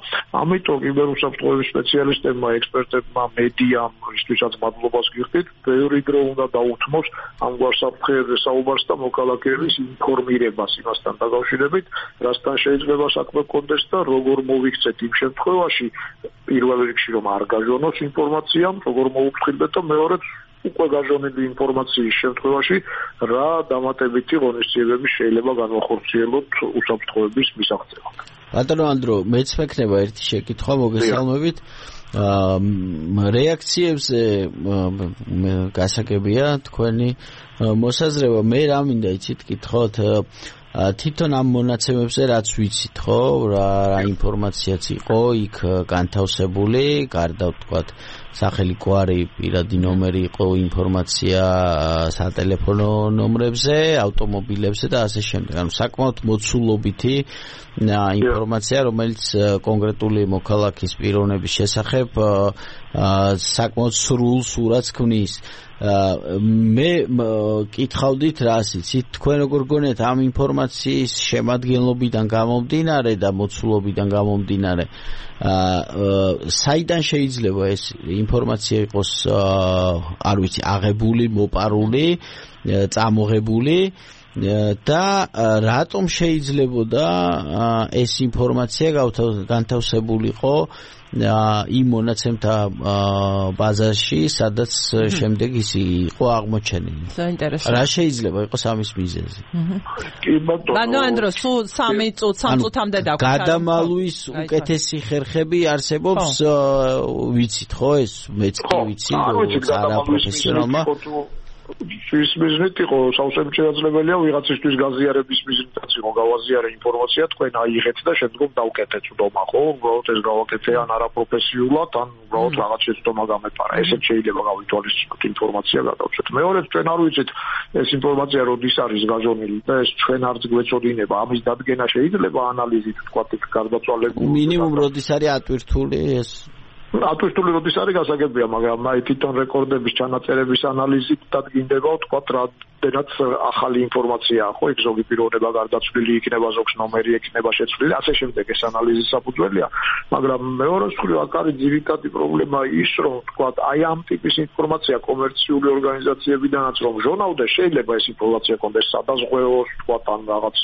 ამიტომ კიბერუსაფრთხოების სპეციალისტებმა, ექსპერტებმა, მედიამ, ისთვისაც მადლობას გიხდით, ბევრი დრო უნდა დაუთმოს ამგვარ საფრთხეებზე საუბარს და მოქალაქეების ინფორმირებას იმასთან დაკავშირებით, რასთან შეიძლება საქმე გქონდეს და როგორ მოვიქცეთ იმ შემთხვევაში, პირველ რიგში რომ არ გაჟონოს ინფორმაცია, როგორ მოვუფრთხილდეთ და მეორედ უკვე გაჟონილი ინფორმაციის შემთხვევაში რა დამატებითი ღონისძიებები შეიძლება განვახორციელოთ უსაფრთხოების მისაღწევად. ბატონო ანდრო, მეც მექნება ერთი შეკითხვა მოგესალმებით. რეაქციებზე გასაგებია თქვენი მოსაზრება. მე რა მინდა იცით კითხოთ თვითონ ამ მონაცემებზე რაც ვიცით, ხო, რა ინფორმაციაც იყო იქ განთავსებული, გარდა ვთქვათ სახელი, გვარი, პირადი ნომერი იყო ინფორმაცია სატელეფონო ნომრებზე, ავტომობილებზე და ასე შემდეგ. ანუ საკმაოდ მოცულობითი ინფორმაცია, რომელიც კონკრეტული მოქალაქის პიროვნების შესახებ საკმაოდ სრულ სურათს ქმნის. მე კითხავდით რას იცით, თქვენ როგორ გონიათ ამ ინფორმაციის შემადგენლობიდან გამომდინარე და მოცულობიდან გამომდინარე საიდან შეიძლება ეს ინფორმაცია იყოს არ ვიცი აღებული, მოპარული, წამოღებული და რატომ შეიძლებოდა ეს ინფორმაცია განთავსებულიყო იმ მონაცემთა ბაზაში, სადაც შემდეგ ის იყო აღმოჩენილი. რა შეიძლება იყოს ამის მიზეზი? ბანო ანდრო, სულ 3 წუთამდე დაგვჭირდა. გადამალვის უკეთესი ხერხები არსებობს, ვიცით ხო ეს? მეც კი ვიცი, არა პროფესიონალმა. ის მიზნით იყო სავსემ შესაძლებელია ვიღაცისთვის გაზიარების მიზნითაც იყო გავაზიარე ინფორმაცია, თქვენ აიღეთ და შემდგომ დავკეთეთ უდომა, ხო? უბრალოდ ეს გავაკეთე ან არაპროფესიულად, ან უბრალოდ რაღაც შეცდომა გამეპარა. ესეც შეიძლება გავითვალისწინოთ ინფორმაცია გადავწყვეტ. მეორედ ჩვენ არ ვიცით ეს ინფორმაცია როდის არის გაჟონილი და ეს ჩვენ არც გვეწოდინება. ამის დადგენა შეიძლება ანალიზით თქვა იქ გარდაცვალებული. მინიმუმ როდის არის ატვირთული ეს ატვირთული როდის არის გასაგებია, მაგრამ აი თვითონ რეკორდების ჩანაწერების ანალიზით დადგინდება, თქვათ რადგანაც ახალი ინფორმაციაა, ხო, იქ ზოგი პიროვნება გარდაცვლილი იქნება, ზოგს ნომერი იქნება შეცვლილი, ასე შემდეგ ეს ანალიზის საფუძველია, მაგრამ მეორე მხრივ აქ არის ძირითადი პრობლემა ის, რომ თქვათ აი ამ ტიპის ინფორმაცია კომერციული ორგანიზაციებიდანაც რომ ჟონავდეს, შეიძლება ეს ინფორმაცია კონდეს სადაზღვეოს, თქვათ ან რაღაც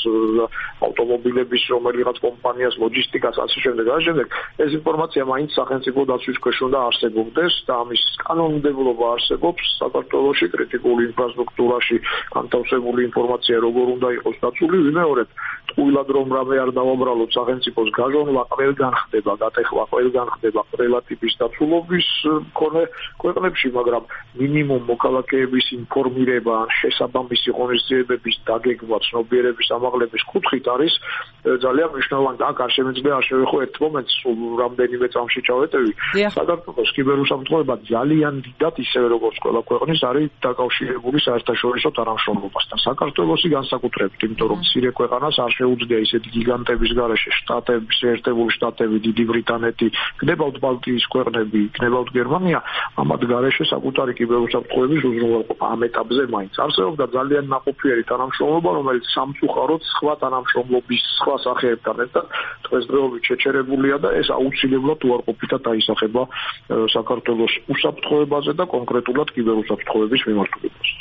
ავტომობილების რომელიღაც კომპანიას, ლოჯისტიკას, ასე შემდეგ, ასე შემდეგ, ეს ინფორმაცია მაინც სახელმწიფო დაცვის ქვეშ უნდა არსებობდეს და ამის კანონმდებლობა არსებობს საქართველოში კრიტიკული ინფრასტრუქტურაში განთავსებული ინფორმაცია როგორ უნდა იყოს დაცული, ვიმეორებ ტყუილად რომ რამე არ დავაბრალოთ სახელმწიფოს გაჟონვა ყველგან ხდება, გატეხვა ყველგან ხდება ყველა ტიპის დაცულობის მქონე ქვეყნებში, მაგრამ მინიმუმ მოქალაქეების ინფორმირება ან შესაბამისი ღონისძიებების დაგეგმვა, ცნობიერების ამაღლების კუთხით არის ძალიან მნიშვნელოვანი. აქ არ შემეძლია არ შევეხო ერთ მომენტს, რამდენიმე წამში ჩავეტევი. საქართველოს კიბერუსაფრთხოება ძალიან დიდად ისევე როგორც ყველა ქვეყნის არის დაკავშირებული საერთაშორისო თანამშრომლობასთან. საქართველოსი განსაკუთრებით, იმიტომ რომ მცირე ქვეყანას არ შეუძლია ისეთი გიგანტების გარეშე შტატების, შეერთებული შტატები, დიდი ბრიტანეთი, გნებავთ ბალტიის ქვეყნები, გნებავთ გერმანია, ამათ გარეშე საკუთარი კიბერუსაფრთხოების უზრუნველყოფა ამ ეტაპზე მაინც არსებობდა ძალიან ნაყოფიერი თანამშრომლობა, რომელიც სამწუხაროდ სხვა თანამშრომლობის სხვა სახეებთან ერთად დღესდღეობით შეჩერებულია და ეს აუცილებლად უარყოფითად აისახება საქართველოს უსაფრთხოებაზე და კონკრეტულად კიბერუსაფრთხოების მიმართულებაზე.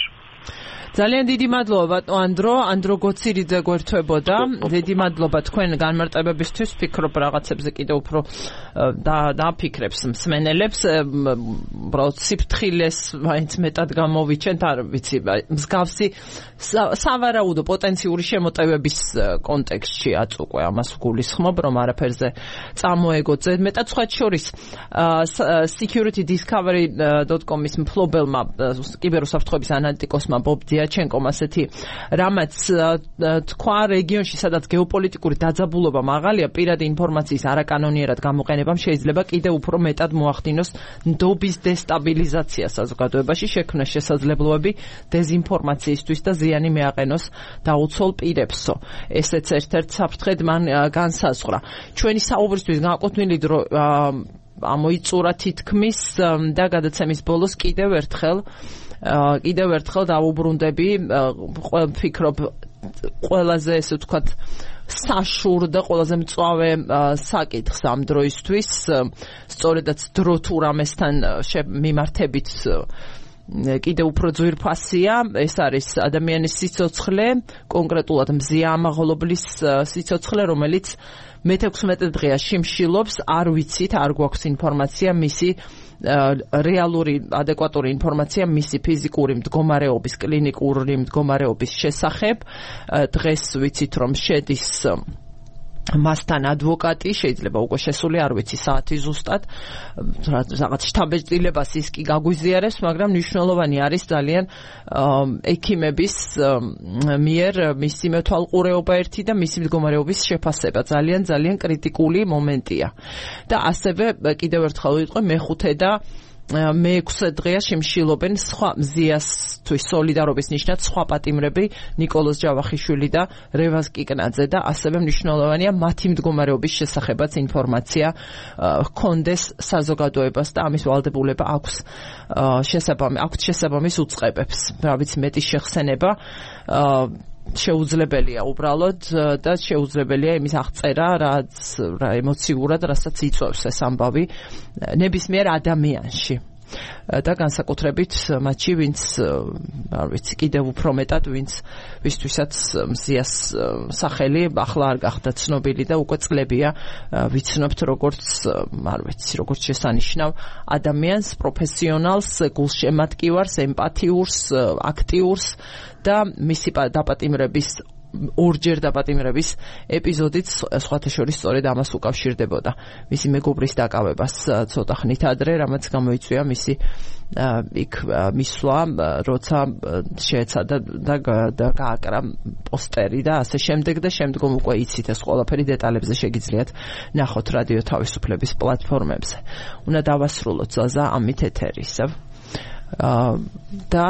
ძალიან დიდი მადლობა ბატონო ანდრო გოცირიძე გვერდებოდა. დიდი მადლობა თქვენ განმარტებებისთვის. ვფიქრობ რაღაცებზე კიდევ უფრო დაფიქრებს მსმენელებს. უბრალოდ სიფრთხილეს მაინც მეტად გამოვიჩენთ, არ ვიცი, მსგავსი სავარაუდო პოტენციური შემოტევების კონტექსტში აწუყვე ამას ვგულისხმობ, რომ არაფერზე წამოეგოძე. მეტად სხვა შორის securitydiscovery.com-ის მფლობელმა კიბერუსაფრთხოების ანალიტიკოსმა ბობ დიაჩენკომ ასეთი რამაც თქვა რეგიონში, სადაც გეოპოლიტიკური დაძაბულობა მაღალია, პირადი ინფორმაციის არაკანონიერად გამოყენებამ შეიძლება კიდევ უფრო მეტად მოახდინოს ნდობის დესტაბილიზაცია საზოგადოებაში, შექმნას შესაძლებლობები დეზინფორმაციისთვის და ზიანი მეაყენოს დაუცველ პირებსო. ესეც ერთ-ერთ საფრთხედ მან განსაზღვრა. ჩვენი საუბრისთვის განკუთვნილი დრო ამოიწურა თითქმის და გადაცემის ბოლოს კიდევ ერთხელ დავუბრუნდები ვფიქრობ ყველაზე ესე ვთქვათ საშურ და ყველაზე მწვავე საკითხს ამ დროისთვის სწორედაც დრო თუ რამესთან მიმართებით კიდევ უფრო ძვირფასია ეს არის ადამიანის სიცოცხლე კონკრეტულად მზია ამაღლობლის სიცოცხლე რომელიც მე-16 დღეა შიმშილობს არ ვიცით არ გვაქვს ინფორმაცია მისი რეალური ადეკვატური ინფორმაცია მისი ფიზიკური მდგომარეობის კლინიკური მდგომარეობის შესახებ დღეს ვიცით რომ შედის მასთან ადვოკატი შეიძლება უკვე შესული არ ვიცი საათი ზუსტად რაღაც შთაბეჭდილებას ის კი გაგვიზიარებს მაგრამ მნიშვნელოვანი არის ძალიან ექიმების მიერ მისი მეთვალყურეობა ერთი და მისი მდგომარეობის შეფასება ძალიან კრიტიკული მომენტია და ასევე კიდევ ერთხელ ვიტყვი მე-5 და მე-6 დღეა შიმშილობენ სხვა მზიასთვის სოლიდარობის ნიშნად სხვა პატიმრები ნიკოლოზ ჯავახიშვილი და რევაზ კიკნაძე და ასევე მნიშვნელოვანია მათი მდგომარეობის შესახებაც ინფორმაცია ჰქონდეს საზოგადოებას და ამის ვალდებულება აქვს შესაბამის უწყებებს რა ვიცი მეტის შეხსენება შეუძლებელია უბრალოდ და შეუძლებელია იმის აღწერა რა ემოციურად რასაც იწვევს ეს ამბავი ნებისმიერ ადამიანში და განსაკუთრებით მათში ვინც არ ვიცი კიდევ უფრო მეტად ვისთვისაც მზიას სახელი ახლა არ გახდა ცნობილი და უკვე წლებია ვიცნობთ როგორც არ ვიცი როგორც შესანიშნავ ადამიანს პროფესიონალს გულშემატკივარს ემპათიურს აქტიურს და მისი დაპატიმრების ორჯერ დაპატიმრების ეპიზოდით სხვათა შორის სწორედ ამას უკავშირდებოდა მისი მეგობრის დაკავებას ცოტა ხნით ადრე რამაც გამოიწვია მისი იქ მისვლა როცა შეეცადა და გააკრა პოსტერი და ასე შემდეგ და შემდგომ უკვე იცით ეს ყველაფერი დეტალებზე შეგიძლიათ ნახოთ რადიო თავისუფლების პლატფორმებზე უნდა დავასრულოთ ზაზა ამით ეთერი ისევ და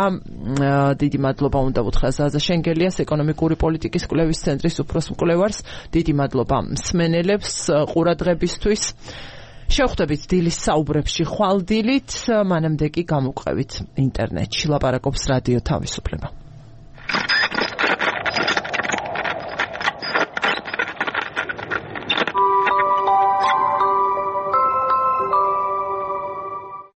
დიდი მადლობა უნდა ვუთხრა ზაზა შენგელიას ეკონომიკური პოლიტიკის კვლევის ცენტრის უფროს მკვლევარს დიდი მადლობა მსმენელებს ყურადღებისთვის შევხვდებით დილის საუბრებში ხვალ დილით მანამდე კი გამოვყევით ინტერნეტში ლაპარაკობს რადიო თავისუფლება